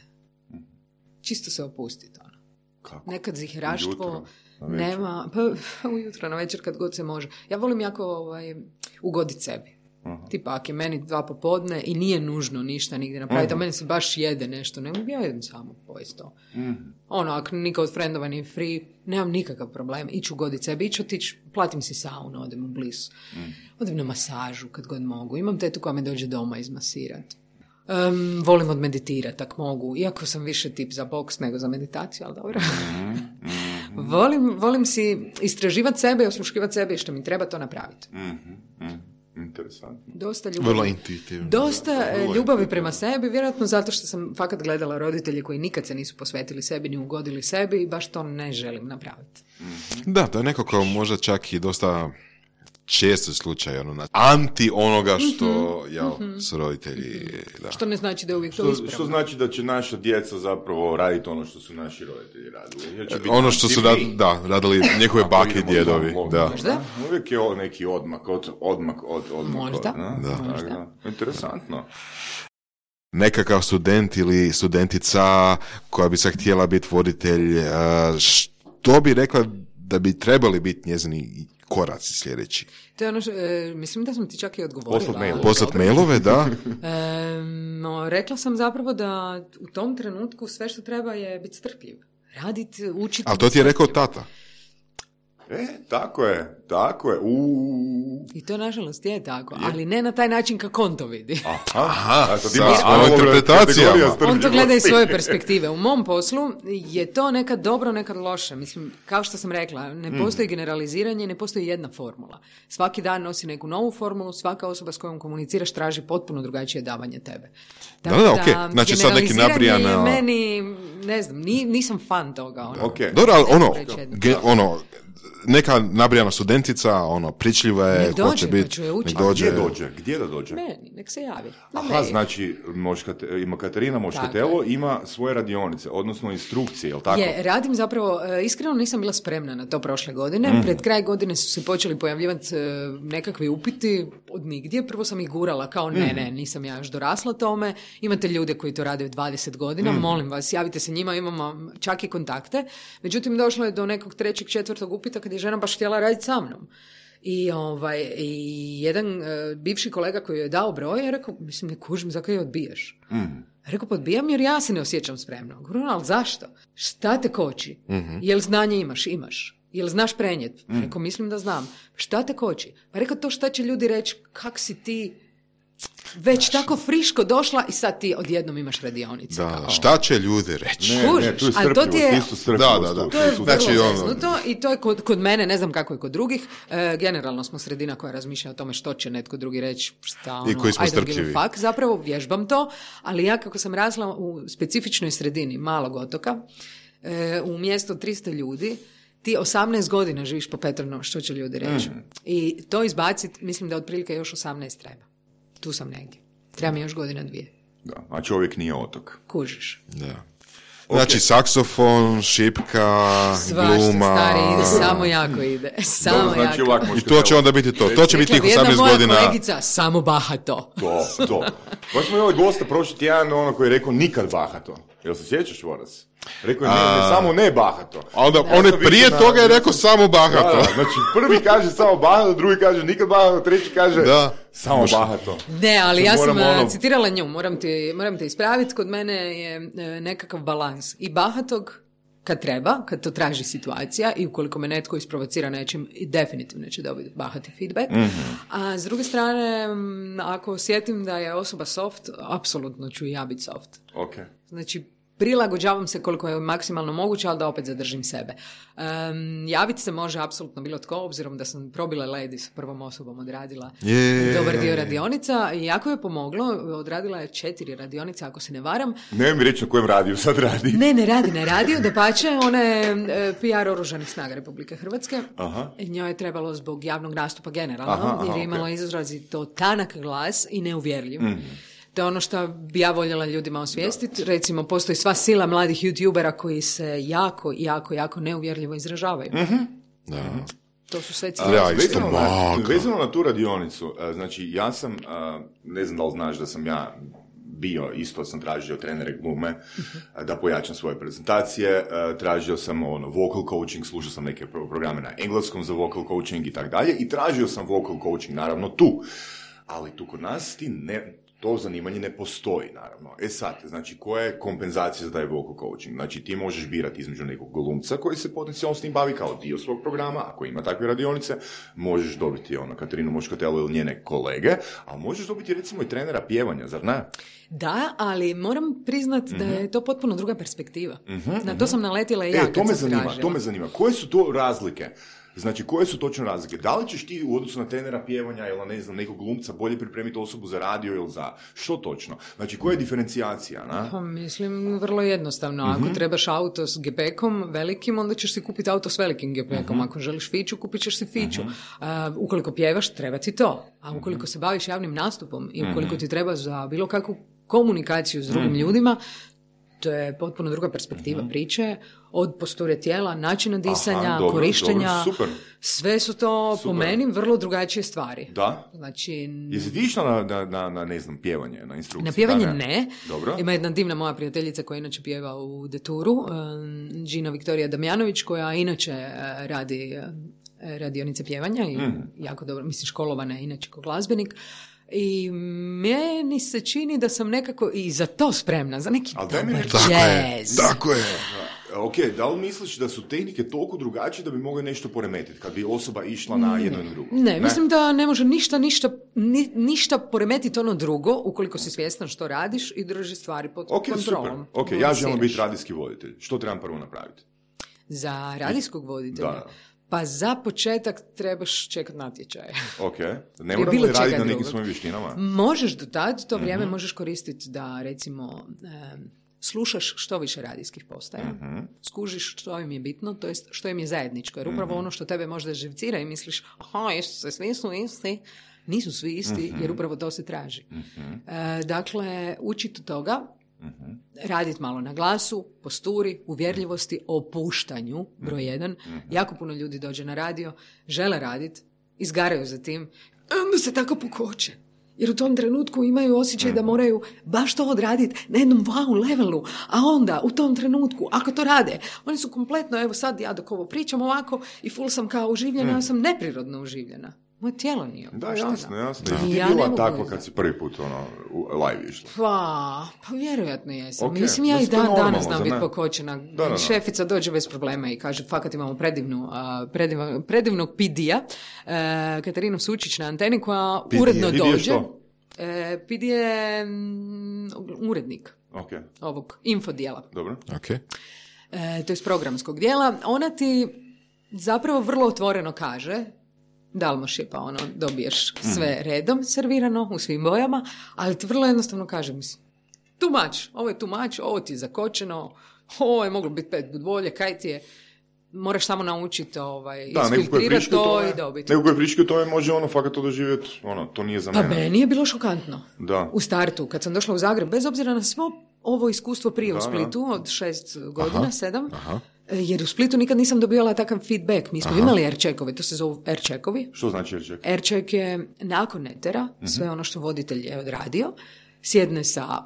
Čisto se opustiti. Ono. Kako? Nekad ziheraštvo nema, pa ujutro, na večer, kad god se može. Ja volim jako ovaj, ugoditi sebi. Uh-huh. Tipa, ako je meni dva popodne i nije nužno ništa nigdje napraviti, uh-huh. a meni se baš jede nešto, ne mogu ja jedem samo pojesti to. Uh-huh. Ono, ako niko od frendova nije free, nemam nikakav problem. Iću ugoditi sebi, iću otići, platim si saunu, odem u blizu. Uh-huh. Odem na masažu kad god mogu. Imam tetu koja me dođe doma izmasirati. Um, volim odmeditirati, ako mogu. Iako sam više tip za boks nego za meditaciju, ali dobro. Uh-huh. Uh-huh. volim, volim si istraživati sebe i osluškivati sebe i što mi treba to napraviti. Uh-huh. Uh-huh. Interesantno. Dosta ljubavi, dosta da, ljubavi prema sebi, vjerojatno zato što sam fakat gledala roditelje koji nikad se nisu posvetili sebi ni ugodili sebi i baš to ne želim napraviti. Da, to je nekako možda čak i dosta često slučaj, ono, anti onoga što mm-hmm. jel, mm-hmm. su roditelji. Da. Što ne znači da je uvijek što, to ispravno. Što znači da će naša djeca zapravo raditi ono što su naši roditelji radili. E, ono što su rad, da, radili njihove bake i djedovi. Da. Možda? Uvijek je neki odmak od odmak od odmak. Možda. Od, da. Možda. Da. Interesantno. Nekakav student ili studentica koja bi se htjela biti voditelj, što bi rekla da bi trebali biti njezini koraci sljedeći? To je ono što, e, mislim da sam ti čak i odgovorila. Poslat mail. Poslat mailove, da. E, no, rekla sam zapravo da u tom trenutku sve što treba je biti strpljiv. Raditi, učiti. Ali to ti je rekao tata. E, tako je, tako je. Uuu. I to nažalost je tako, je. Ali ne na taj način kako on to vidi. Aha, Aha sad ima interpretacijama. On to gleda iz svoje perspektive. U mom poslu je to nekad dobro, nekad loše. Mislim, kao što sam rekla, ne postoji mm. generaliziranje, ne postoji jedna formula. Svaki dan nosi neku novu formulu, svaka osoba s kojom komuniciraš traži potpuno drugačije davanje tebe. Tako da, da, okej. Okay. Znači sad neki nabrijana... meni, ne znam, nisam fan toga. Ono. Okay. Dobro, ali ono, ge, ono, neka nabrijana studentica, ono, pričljiva je, nek dođe, pa ću je učiti. Gdje dođe? Gdje da dođe? Meni, nek se javi. Aha, mail. Znači, moškate, ima Katarina Moškatelo, ima svoje radionice, odnosno instrukcije, jel tako? Je, radim zapravo, iskreno nisam bila spremna na to prošle godine. Mm. Pred kraj godine su se počeli pojavljivati nekakvi upiti od nigdje. Prvo sam ih gurala kao ne, mm. ne, nisam ja još dorasla tome. Imate ljude koji to rade dvadeset godina, mm. molim vas, javite se njima, imamo čak i kontakte. Međutim, došlo je do nekog trećeg, četvrtog upita kad je žena baš htjela raditi sa mnom. I, ovaj, i jedan uh, bivši kolega koji je dao broj je rekao, mislim, ne kužim, zakaj je odbijaš? Mm. Rekao, pa odbijam jer ja se ne osjećam spremno. Govorim, ali zašto? Šta te koči? Mm-hmm. Jel znanje imaš? Imaš. Jel znaš prenijet? Mm. Rekao, mislim da znam. Šta te koči? Pa rekao, to šta će ljudi reći, kak si ti već tako friško došla i sad ti odjednom imaš radionice. Da, kao. Šta će ljudi reći? Ne, Kužiš, ne, tu je strpljivost, je, isto strpljivost. Da, da, da. To je vrlo znači, zeznuto ono... i to je kod, kod mene, ne znam kako je kod drugih, e, generalno smo sredina koja razmišlja o tome što će netko drugi reći, šta ono, I koji smo I don't strpljivi. give a fuck, zapravo vježbam to, ali ja kako sam rasla u specifičnoj sredini malog otoka, e, u mjesto tristo ljudi, ti osamnaest godina živiš po Petrovnom, što će ljudi reći. Mm. I to izbaciti, mislim da otprilike još osamnaest treba. Tu sam negdje. Treba mi još godina dvije. Da, a čovjek nije otok. Kužiš. Da. Znači, okay. saksofon, šipka, svašta, gluma... stari, ide, samo jako ide. Samo Dobro, znači, jako. I to će onda biti to. To će biti tih osamnaest godina... Jedna moja kolegica, samo bahato. To, to. Baš smo imali gosta prošli tjedan, ono koji je rekao nikad bahato. Jel se sjećaš, Voras? Rekao je, ne, ne, samo ne bahato. A onda, on je prije na, toga je rekao samo bahato. Da, da, znači, prvi kaže samo bahato, drugi kaže nikad bahato, treći kaže da. samo Moš... bahato. Ne, ali ja sam ono... citirala nju, moram te, moram te ispraviti, kod mene je nekakav balans i bahatog kad treba, kad to traži situacija i ukoliko me netko isprovocira nečim, definitivno će dobiti bahati feedback. Mm-hmm. A s druge strane, ako osjetim da je osoba soft, apsolutno ću i ja biti soft. Okay. Znači, prilagođavam se koliko je maksimalno moguće, ali da opet zadržim sebe. Um, javiti se može apsolutno bilo tko, obzirom da sam probila lady s prvom osobom odradila yeah. dobar dio radionica i jako je pomoglo, odradila je četiri radionice, ako se ne varam. Ne mi reći na kojem radiju sad radi. Ne, ne radi na radiju, dapače, ona je e, P R Oružanih snaga Republike Hrvatske. Aha. Njoj je trebalo zbog javnog nastupa generalno, aha, aha, jer je imala okay. izrazito tanak glas i neuvjerljiv. Mm. To je ono što bi ja voljela ljudima osvijestiti. Recimo, postoji sva sila mladih youtubera koji se jako, jako, jako neuvjerljivo izražavaju. Mm-hmm. Da. To su sve cijeli. Ja, vezano, na, vezano na tu radionicu, znači ja sam, ne znam da li znaš da sam ja bio, isto sam tražio trenere glume uh-huh. da pojačam svoje prezentacije, tražio sam ono, vocal coaching, slušao sam neke programe na engleskom za vocal coaching i tako dalje i tražio sam vocal coaching, naravno tu. Ali tu kod nas ti ne... To zanimanje ne postoji, naravno. E sad, znači, koja je kompenzacija za taj vocal coaching? Znači, ti možeš birati između nekog glumca koji se potencijalno s tim bavi kao dio svog programa, ako ima takve radionice, možeš dobiti ono, Katarinu Moškatelo ili njene kolege, a možeš dobiti recimo i trenera pjevanja, zar ne? Da, ali moram priznat mm-hmm. da je to potpuno druga perspektiva. Mm-hmm, na to mm-hmm. sam naletila i ja e, to me zanima, tražila. To me zanima. Koje su to razlike? Znači, koje su točno razlike? Da li ćeš ti u odnosu na trenera pjevanja ili ne znam, nekog glumca bolje pripremiti osobu za radio ili za što točno? Znači, koja je diferencijacija? Na? Pa, mislim, vrlo jednostavno. Ako mm-hmm. trebaš auto s gepekom velikim, onda ćeš si kupiti auto s velikim gepekom. Mm-hmm. Ako želiš fiću, kupit ćeš si fiću. Mm-hmm. Uh, ukoliko pjevaš, treba ti to. A ukoliko mm-hmm. se baviš javnim nastupom i ukoliko mm-hmm. ti treba za bilo kakvu komunikaciju s drugim mm-hmm. ljudima, to je potpuno druga perspektiva mm-hmm. priče, od posture tijela, načina disanja, aha, dobro, korištenja, dobro, sve su to super. Po meni vrlo drugačije stvari. Da? Znači, jesi ti išla na, na, na, na, ne znam, pjevanje, na instrukciju? Na pjevanje da, ne. ne. Dobro. Ima jedna divna moja prijateljica koja inače pjeva u Deturu, Gina Viktorija Damjanović, koja inače radi radionice pjevanja i mm. jako dobro, mislim, školovana je inače kao glazbenik. I meni se čini da sam nekako i za to spremna, za neki dobar jazz. Tako je. Ok, da li misliš da su tehnike toliko drugačije da bi mogli nešto poremetiti kad bi osoba išla na jedno ili drugo? Ne, ne, mislim da ne može ništa, ništa, ni, ništa poremetiti ono drugo ukoliko si svjestan što radiš i drži stvari pod okay, kontrolom. Ok, ja želim biti radijski voditelj. Što trebam prvo napraviti? Za radijskog voditelja? Da. Pa za početak trebaš čekati natječaje. Ok, ne moram li raditi na nekim svojim vještinama? Možeš do tad, to vrijeme uh-huh. možeš koristiti da recimo um, slušaš što više radijskih postaja, uh-huh. skužiš što im je bitno, to jest što im je zajedničko, jer upravo uh-huh. ono što tebe možda živcira i misliš, aha, jesu se, svi su isti, nisu svi isti, uh-huh. jer upravo to se traži. Uh-huh. Uh, dakle, učiti toga, uh-huh. raditi malo na glasu, posturi, uvjerljivosti, opuštanju, broj jedan. Uh-huh. Jako puno ljudi dođe na radio, žele raditi, izgaraju za tim, onda se tako pokoče. Jer u tom trenutku imaju osjećaj da moraju baš to odraditi na jednom wow levelu, a onda u tom trenutku, ako to rade, oni su kompletno, evo sad ja dok ovo pričam ovako i full sam kao uživljena, ja sam neprirodno uživljena. Moje tijelo nije Da, jasno, jasno. Da. Ti ja bila takva kad si prvi put ono, live išla? Pa, pa vjerojatno jesam. Okay. Mislim, ja i dan danas znam biti pokočena. Da, da, da. Šefica dođe bez problema i kaže, fakat imamo predivnu, uh, prediv, predivnog pidija, uh, Katarinu Sučić na anteni, koja P D, uredno P D dođe. Uh, P D je um, urednik okay. ovog infodijela. Dobro. Okay. Uh, to je s programskog dijela. Ona ti zapravo vrlo otvoreno kaže, dalmoš je pa ono, dobiješ sve redom servirano u svim bojama, ali ti vrlo jednostavno kaže, mislim, too much, ovo je too much, ovo ti je zakočeno, ovo je moglo biti pet put bolje, kaj ti je, moraš samo naučiti ovaj, isfiltrirati to tome, i dobiti. Neko koji frički u tome može ono fakat to doživjeti, ono, to nije za mene. Pa meni je bilo šokantno. Da. U startu, kad sam došla u Zagreb, bez obzira na svo ovo iskustvo prije da, u Splitu, da. Od šest godina, aha, sedam, aha. Jer u Splitu nikad nisam dobijala takav feedback. Mi smo aha. imali aircheckovi, to se zovu aircheckovi. Što znači aircheck? Aircheck je nakon etera, uh-huh. sve ono što voditelj je odradio, sjedne sa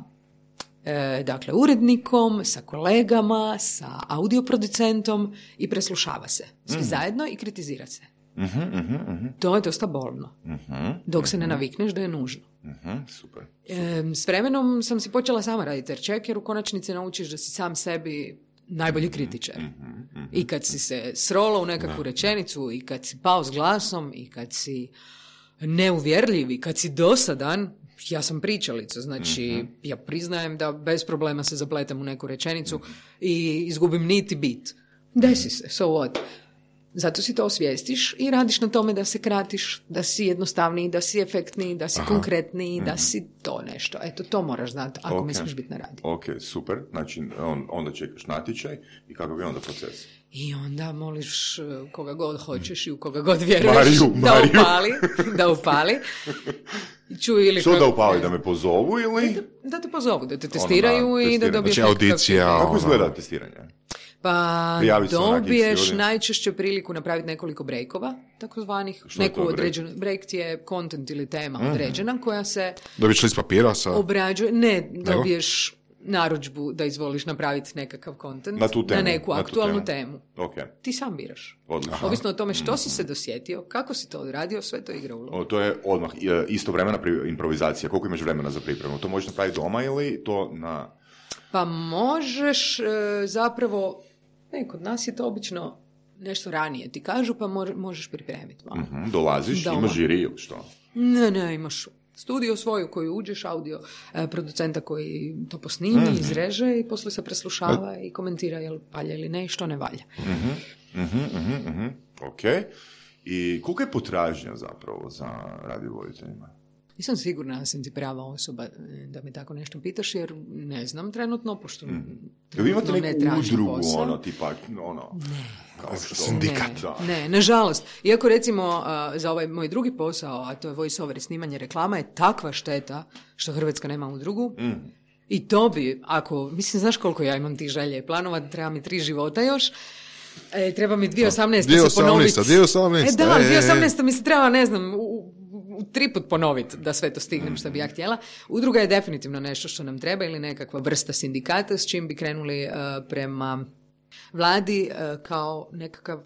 e, dakle, urednikom, sa kolegama, sa audioproducentom i preslušava se. Svi uh-huh. zajedno i kritizira se. Uh-huh, uh-huh, uh-huh. To je dosta bolno. Uh-huh, dok uh-huh. se ne navikneš da je nužno. Uh-huh, super. super. E, s vremenom sam si počela sama raditi aircheck, jer u konačnici naučiš da si sam sebi najbolji kritičar. Mm-hmm, mm-hmm. I kad si se srolo u nekakvu rečenicu, i kad si pao s glasom, i kad si neuvjerljiv, i kad si dosadan, ja sam pričalica, znači mm-hmm. ja priznajem da bez problema se zapletem u neku rečenicu mm-hmm. i izgubim niti bit. Desi se, so what? Zato si to osvijestiš i radiš na tome da se kratiš, da si jednostavniji, da si efektniji, da si aha. konkretniji, mm-hmm. da si to nešto. Eto, to moraš znati ako okay. misliš biti na radiju. Ok, super. Znači, on, onda čekaš natječaj i kako bi onda proces? I onda moliš koga god hoćeš i u koga god vjeruješ Mariju, da Mariju. upali. Da upali. Čuj, ili što da upali, da me pozovu ili? Da, da te pozovu, da te testiraju ono, i da dobiješ znači, audicija. Kako izgleda testiranje? Pa dobiješ najčešće priliku napraviti nekoliko breakova, takozvanih. Neku određenu, break ti je content ili tema mm-hmm. određena koja se dobiješ list papira sa obrađuje, ne, dobiješ narudžbu da izvoliš napraviti nekakav content na, tu temu, na neku na aktualnu temu. Okay. Ti sam biraš. Odlično. Ovisno o tome što si se dosjetio, kako si to odradio, sve to igra ulogu. O, to je odmah istovremena improvizacija. Koliko imaš vremena za pripremu? To možeš napraviti doma ili to na... Pa možeš e, zapravo, ne, kod nas je to obično nešto ranije. Ti kažu pa možeš pripremiti malo. Mm-hmm, dolaziš, doma. Imaš žiri ili što? Ne, ne, imaš studio svoju koju uđeš, audio e, producenta koji to posnimi, mm-hmm. izreže i poslije se preslušava i komentira jel valja ili ne i što ne valja. Mm-hmm, mm-hmm, mm-hmm. Ok. I koliko je potražnja zapravo za radiovoditeljima? Nisam sigurna da sam ti prava osoba da mi tako nešto pitaš, jer ne znam trenutno, pošto mm. trenutno vi imate neku ne udrugu, posao. Ono, tipa, ono, ne. kao što... Sindikat. Ne, ne, nažalost. Iako recimo uh, za ovaj moj drugi posao, a to je voice over i snimanje reklama, je takva šteta što Hrvatska nema udrugu. Mm. I to bi, ako, mislim, znaš koliko ja imam tih želje i planova, treba mi tri života još, e, treba mi dvije tisuće osamnaeste se ponoviti. dvije tisuće osamnaeste E da, dvije tisuće osamnaeste mi se treba, ne znam, u, tri put ponoviti da sve to stignem što bi ja htjela. Udruga je definitivno nešto što nam treba ili nekakva vrsta sindikata s čim bi krenuli uh, prema vladi uh, kao nekakav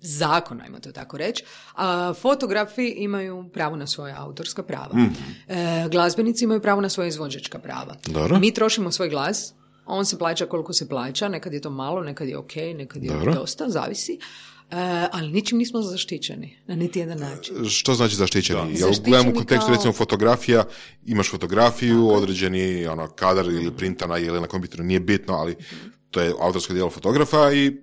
zakon, ajmo to tako reći, a fotografi imaju pravo na svoje autorska prava. Mm. E, glazbenici imaju pravo na svoje izvođačka prava. Dobro. Mi trošimo svoj glas, on se plaća koliko se plaća, nekad je to malo, nekad je ok, nekad je Dobro. dosta, zavisi. Uh, ali ničim nismo zaštićeni, na niti jedan način. Što znači zaštićeni? Da. Ja gledam u kontekstu kao... recimo fotografija, imaš fotografiju, tako. Određeni ono, kadar ili printana ili na kompjuteru, nije bitno, ali uh-huh. to je autorsko djelo fotografa i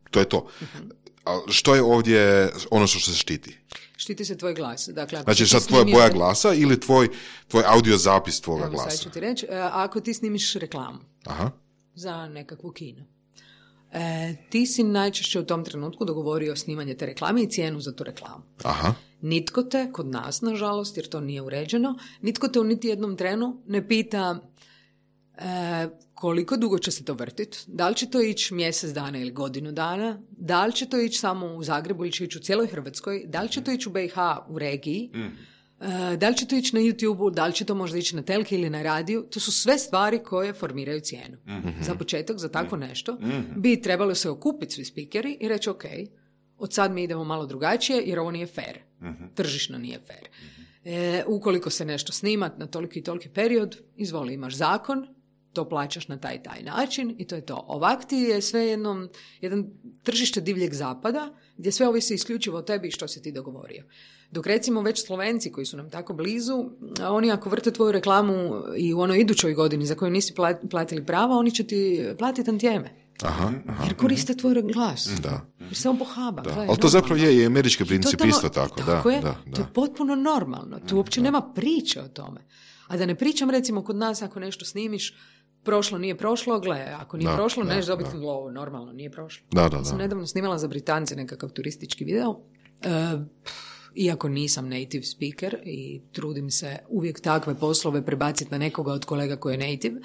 to je to. Uh-huh. A što je ovdje ono što se štiti? Štiti se tvoj glas. Dakle, ako znači sad tvoja boja glasa ili tvoj, tvoj audio zapis tvoga Evo, glasa? Sad ću ti reći, ako ti snimiš reklamu Aha. za nekakvu kino, E, ti si najčešće u tom trenutku dogovorio snimanje te reklame i cijenu za tu reklamu. Aha. Nitko te, kod nas nažalost, jer to nije uređeno, nitko te u niti jednom trenu ne pita e, koliko dugo će se to vrtiti, da li će to ići mjesec dana ili godinu dana, da li će to ići samo u Zagrebu ili će ići u cijeloj Hrvatskoj, da li će to ići u B i H u regiji, mm. e, da li će to ići na YouTube-u, da li će to možda ići na telki ili na radiju. To su sve stvari koje formiraju cijenu. Mm-hmm. Za početak, za takvo nešto, mm-hmm. bi trebalo se okupiti svi spikeri i reći ok, od sad mi idemo malo drugačije jer ovo nije fair. Mm-hmm. Tržišno nije fair. Mm-hmm. E, ukoliko se nešto snima na toliki i toliki period, izvoli, imaš zakon, to plaćaš na taj taj način i to je to. Ovak ti je sve jednom, jedan tržište divljeg zapada gdje sve ovisi isključivo o tebi i što si ti dogovorio. Dok recimo već Slovenci koji su nam tako blizu, oni ako vrte tvoju reklamu i u onoj idućoj godini za koju nisi platili prava, oni će ti platiti tantijeme. Aha, aha. Jer koriste tvoj glas. Da. Jer se on pohaba. Da. Ali to zapravo je i američki princip totalno, isto tako. Tako da, je, da, da. To je potpuno normalno. Tu uopće da. nema priče o tome. A da ne pričam recimo kod nas ako nešto snimiš, prošlo, nije prošlo, gle, ako nije da, prošlo, neš dobiti lovo, normalno, nije prošlo. Da, da, da. Sam nedavno snimala za Britance nekakav turistički video, uh, iako nisam native speaker i trudim se uvijek takve poslove prebaciti na nekoga od kolega koji je native.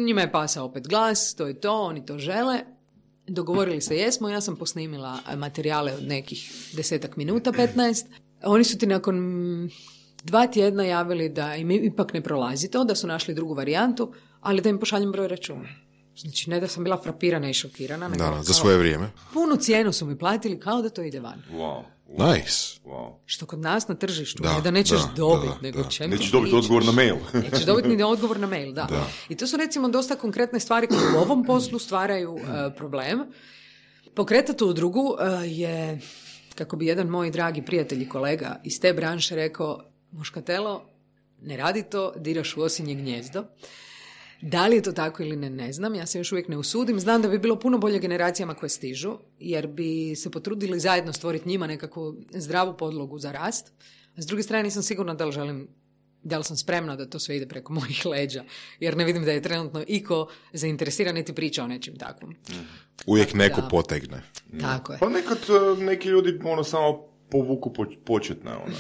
Njima je pasao opet glas, to je to, oni to žele. Dogovorili se jesmo, ja sam posnimila materijale od nekih desetak minuta, petnaest. Oni su ti nakon dva tjedna javili da im ipak ne prolazi to, da su našli drugu varijantu, ali da im pošaljem broj računa. Znači, ne da sam bila frapirana i šokirana. Da, da, za svoje vrijeme. Punu cijenu su mi platili kao da to ide van. Wow. Wow. Nice. Wow. Što kod nas na tržištu, da, ne da nećeš dobiti, nego da. čem Nećeš dobiti odgovor na mail. Nećeš dobiti ni odgovor na mail, da. da. I to su recimo dosta konkretne stvari koje u ovom poslu stvaraju uh, problem. Pokretati udrugu uh, je, kako bi jedan moj dragi prijatelj i kolega iz te branše rekao, Muškatelo, ne radi to, diraš u osinje gnjezdo. Da li je to tako ili ne, ne znam. Ja se još uvijek ne usudim. Znam da bi bilo puno bolje generacijama koje stižu, jer bi se potrudili zajedno stvoriti njima nekakvu zdravu podlogu za rast. A s druge strane nisam sigurna da li želim, da li sam spremna da to sve ide preko mojih leđa, jer ne vidim da je trenutno iko zainteresiran niti priča o nečim takvom. Uvijek tako neko da, potegne. Tako je. Pa nekad neki ljudi ono samo povuku početne one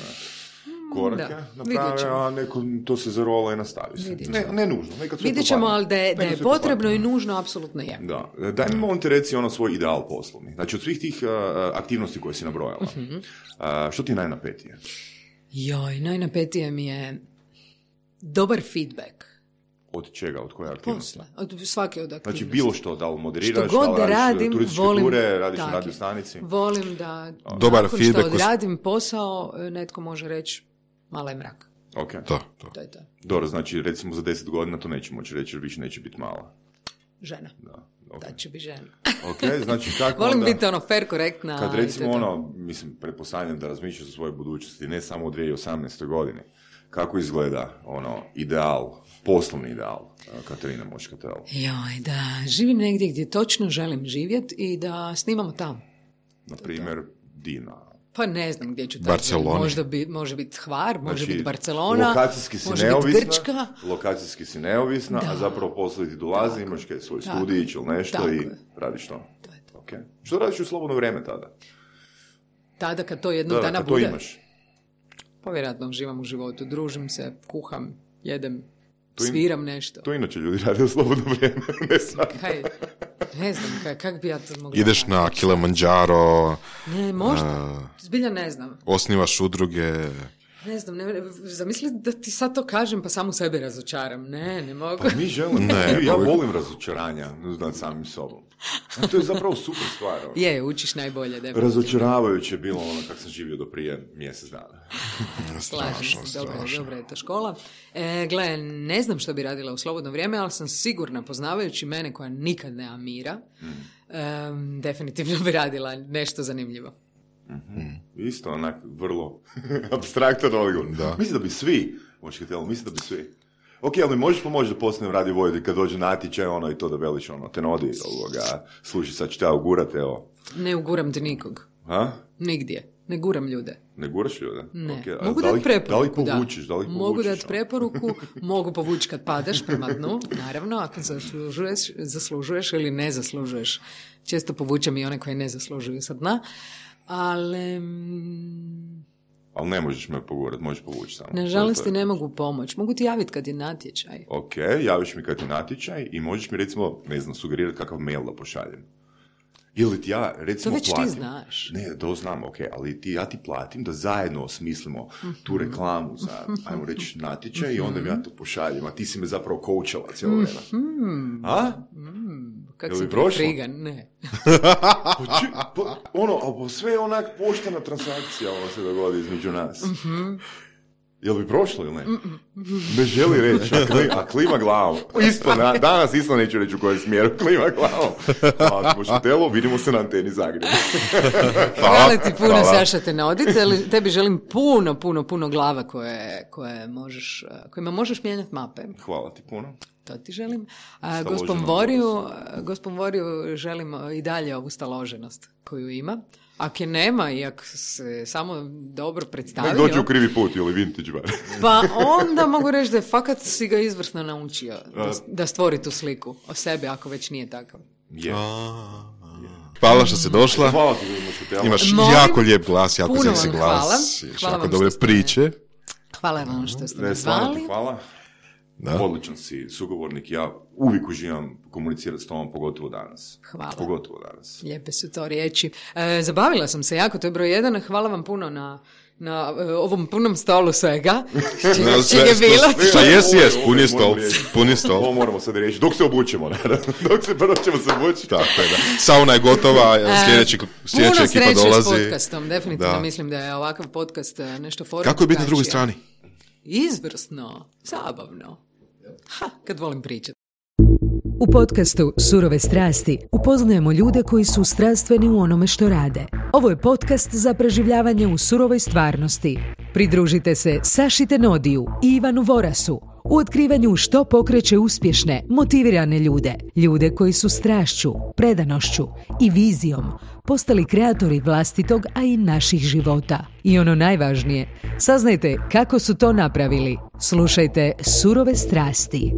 korake naprave, a neko to se zarola i nastavi se. Ne, ne nužno. Vidjet ćemo, ali da je, da je potrebno i nužno, apsolutno je. Da. Daj mi molim te reci ono svoj ideal poslovni. Znači, od svih tih uh, aktivnosti koje si nabrojala, uh-huh. uh, što ti je najnapetije? Joj, najnapetije mi je dobar feedback. Od čega? Od koje aktivnosti? Posle. Od svake od aktivnosti. Znači, bilo što, da li moderiraš, što god da li radiš radim, turističke volim, ture, radiš na radio stanici? Volim da dobar nakon feedback što odradim posao, netko može reći mala je mrak. Okay. To, to. to je to. Dobro, znači recimo za deset godina to neće moći reći jer više neće biti mala. Žena. Da, okay. Da će biti žena. Ok, znači kako volim onda, biti ono fair, korektna. Kad recimo ono, mislim, pretpostavljam da razmišljaš o svojoj budućnosti, ne samo u dvije tisuće osamnaestoj godini, kako izgleda ono ideal, poslovni ideal Katarina Muškatelo? Joj, da živim negdje gdje točno želim živjeti i da snimamo tamo. Na primjer, Dina. Pa ne znam gdje ću Barcelona. Možda bi, može biti Hvar, može znači, biti Barcelona, lokacijski si može neovisna, biti Grčka. Lokacijski si neovisna, da. A zapravo posle ti dolazi, tako, imaš kaj svoj studijić ili nešto tako i je. Radiš to. To je to. Okay. Što radiš u slobodno vrijeme tada? Tada kad to jednog da, dana kad bude? To imaš. Pa vjerojatno živam u životu, družim se, kuham, jedem, in, sviram nešto. To inače ljudi rade u slobodno vrijeme, ne sad. Kaj, ne znam, kaj, kak bi ja to mogla... Ideš na Kilimanjaro... Ne, možda, uh, zbilja ne znam. Osnivaš udruge... Ne znam, ne, zamisli da ti sad to kažem pa samo sebe razočaram. Ne, ne mogu. Pa mi želimo. Ne, ja volim razočaranja nad samim sobom. A to je zapravo super stvar. Je, učiš najbolje. Definitivno. Razočaravajuće je bilo ono kako sam živio do prije mjesec dana. Slažem se, dobra, dobra je to škola. E, gle, ne znam što bi radila u slobodno vrijeme, ali sam sigurna, poznavajući mene koja nikad nema mira, mm. um, definitivno bi radila nešto zanimljivo. Mm-hmm. Isto, onak, vrlo apstraktan odgovor. Mislim da bi svi, močkatelo, mislim da bi svi. Ok, ali možeš pomoći da postanem radio vojitelj kad dođe natječaj, ono i to da veliš, ono, te nodi, ovoga, služi, sad ću te ugurati, evo. Ne uguram te nikog. Ha? Nigdje. Ne guram ljude. Ne guraš ljude? Ne. Okay. Mogu da dati preporuku, da. li povučiš, da li povučiš? Mogu dati preporuku, mogu povući kad padeš prema dnu, naravno, ako zaslužuješ, zaslužuješ ili ne zaslužuješ. Često povučem i one koje ne zaslužuju sa dna, ali... Ali ne možeš me pogurati, možeš povući samo. Nažalost ti ne mogu pomoći. Mogu ti javiti kad je natječaj. Ok, javiš mi kad je natječaj i možeš mi recimo, ne znam, sugerirati kakav mail da pošaljem. Ili ti ja, recimo, to već platim. Ti znaš. Ne, to znam, ok, ali ti, ja ti platim da zajedno osmislimo mm-hmm. tu reklamu za, ajmo reći, natječaj mm-hmm. i onda mi ja to pošaljem, a ti si me zapravo coachala cijelo vrijeme. Mm-hmm. A? Mm-hmm. Kako si ti frigan? Ne. pa, či, pa, ono, ali sve je onak poštena transakcija, ono se dogodi između nas. Mm-hmm. Jel bi prošlo ili ne? Ne želi reći, a, kli, a klima glavom. Isto, na, danas isto neću reći u kojem smjeru, klima glavom. A mošutelo, vidimo se na anteni Zagreb. Hvala ti puno, hvala. Saša, te navodite. Tebi želim puno, puno, puno glava koje, koje možeš, kojima možeš mijenjati mape. Hvala ti puno. To ti želim. A gospom Voriju, gospom Voriju želim i dalje ovu staloženost koju ima. Ako je nema i ako se samo dobro predstavio... Nek dođe u krivi put ili vintage bar. Pa onda mogu reći da je fakat si ga izvrsno naučio da, da stvori tu sliku o sebi ako već nije takav. Yeah. Hvala što si došla. Hvala ti, imaš Molim, jako lijep glas, jako seksi glas. Hvala. Hvala jako dobre priče. Hvala vam što ste me zvali. Hvala. Da. Odličan si sugovornik, ja uvijek uživam komunicirati s tobom, pogotovo danas. Hvala. Pogotovo danas. Lijepe su to riječi. E, zabavila sam se jako, to je broj jedan. Hvala vam puno na, na uh, ovom punom stolu svega. Čega je bilo? Šta jes, jes, pun je stol. Pun je stol. Ovo moramo sad reći, dok se obučemo. Dok se prvo ćemo se obući. Tako je, da. Sauna je gotova, sljedeći, sljedeća ekipa dolazi. Puno sreće s podcastom, definitivno da. Mislim da je ovakav podcast nešto forma. Kako je biti na drugoj strani? Izvrsno, zabavno. Ha, kad volim pričati. U podcastu Surove strasti upoznajemo ljude koji su strastveni u onome što rade. Ovo je podcast za preživljavanje u surovoj stvarnosti. Pridružite se Saši Tenodiju i Ivanu Vorasu u otkrivanju što pokreće uspješne, motivirane ljude. Ljude koji su strašću, predanošću i vizijom postali kreatori vlastitog, a i naših života. I ono najvažnije, saznajte kako su to napravili. Slušajte Surove strasti.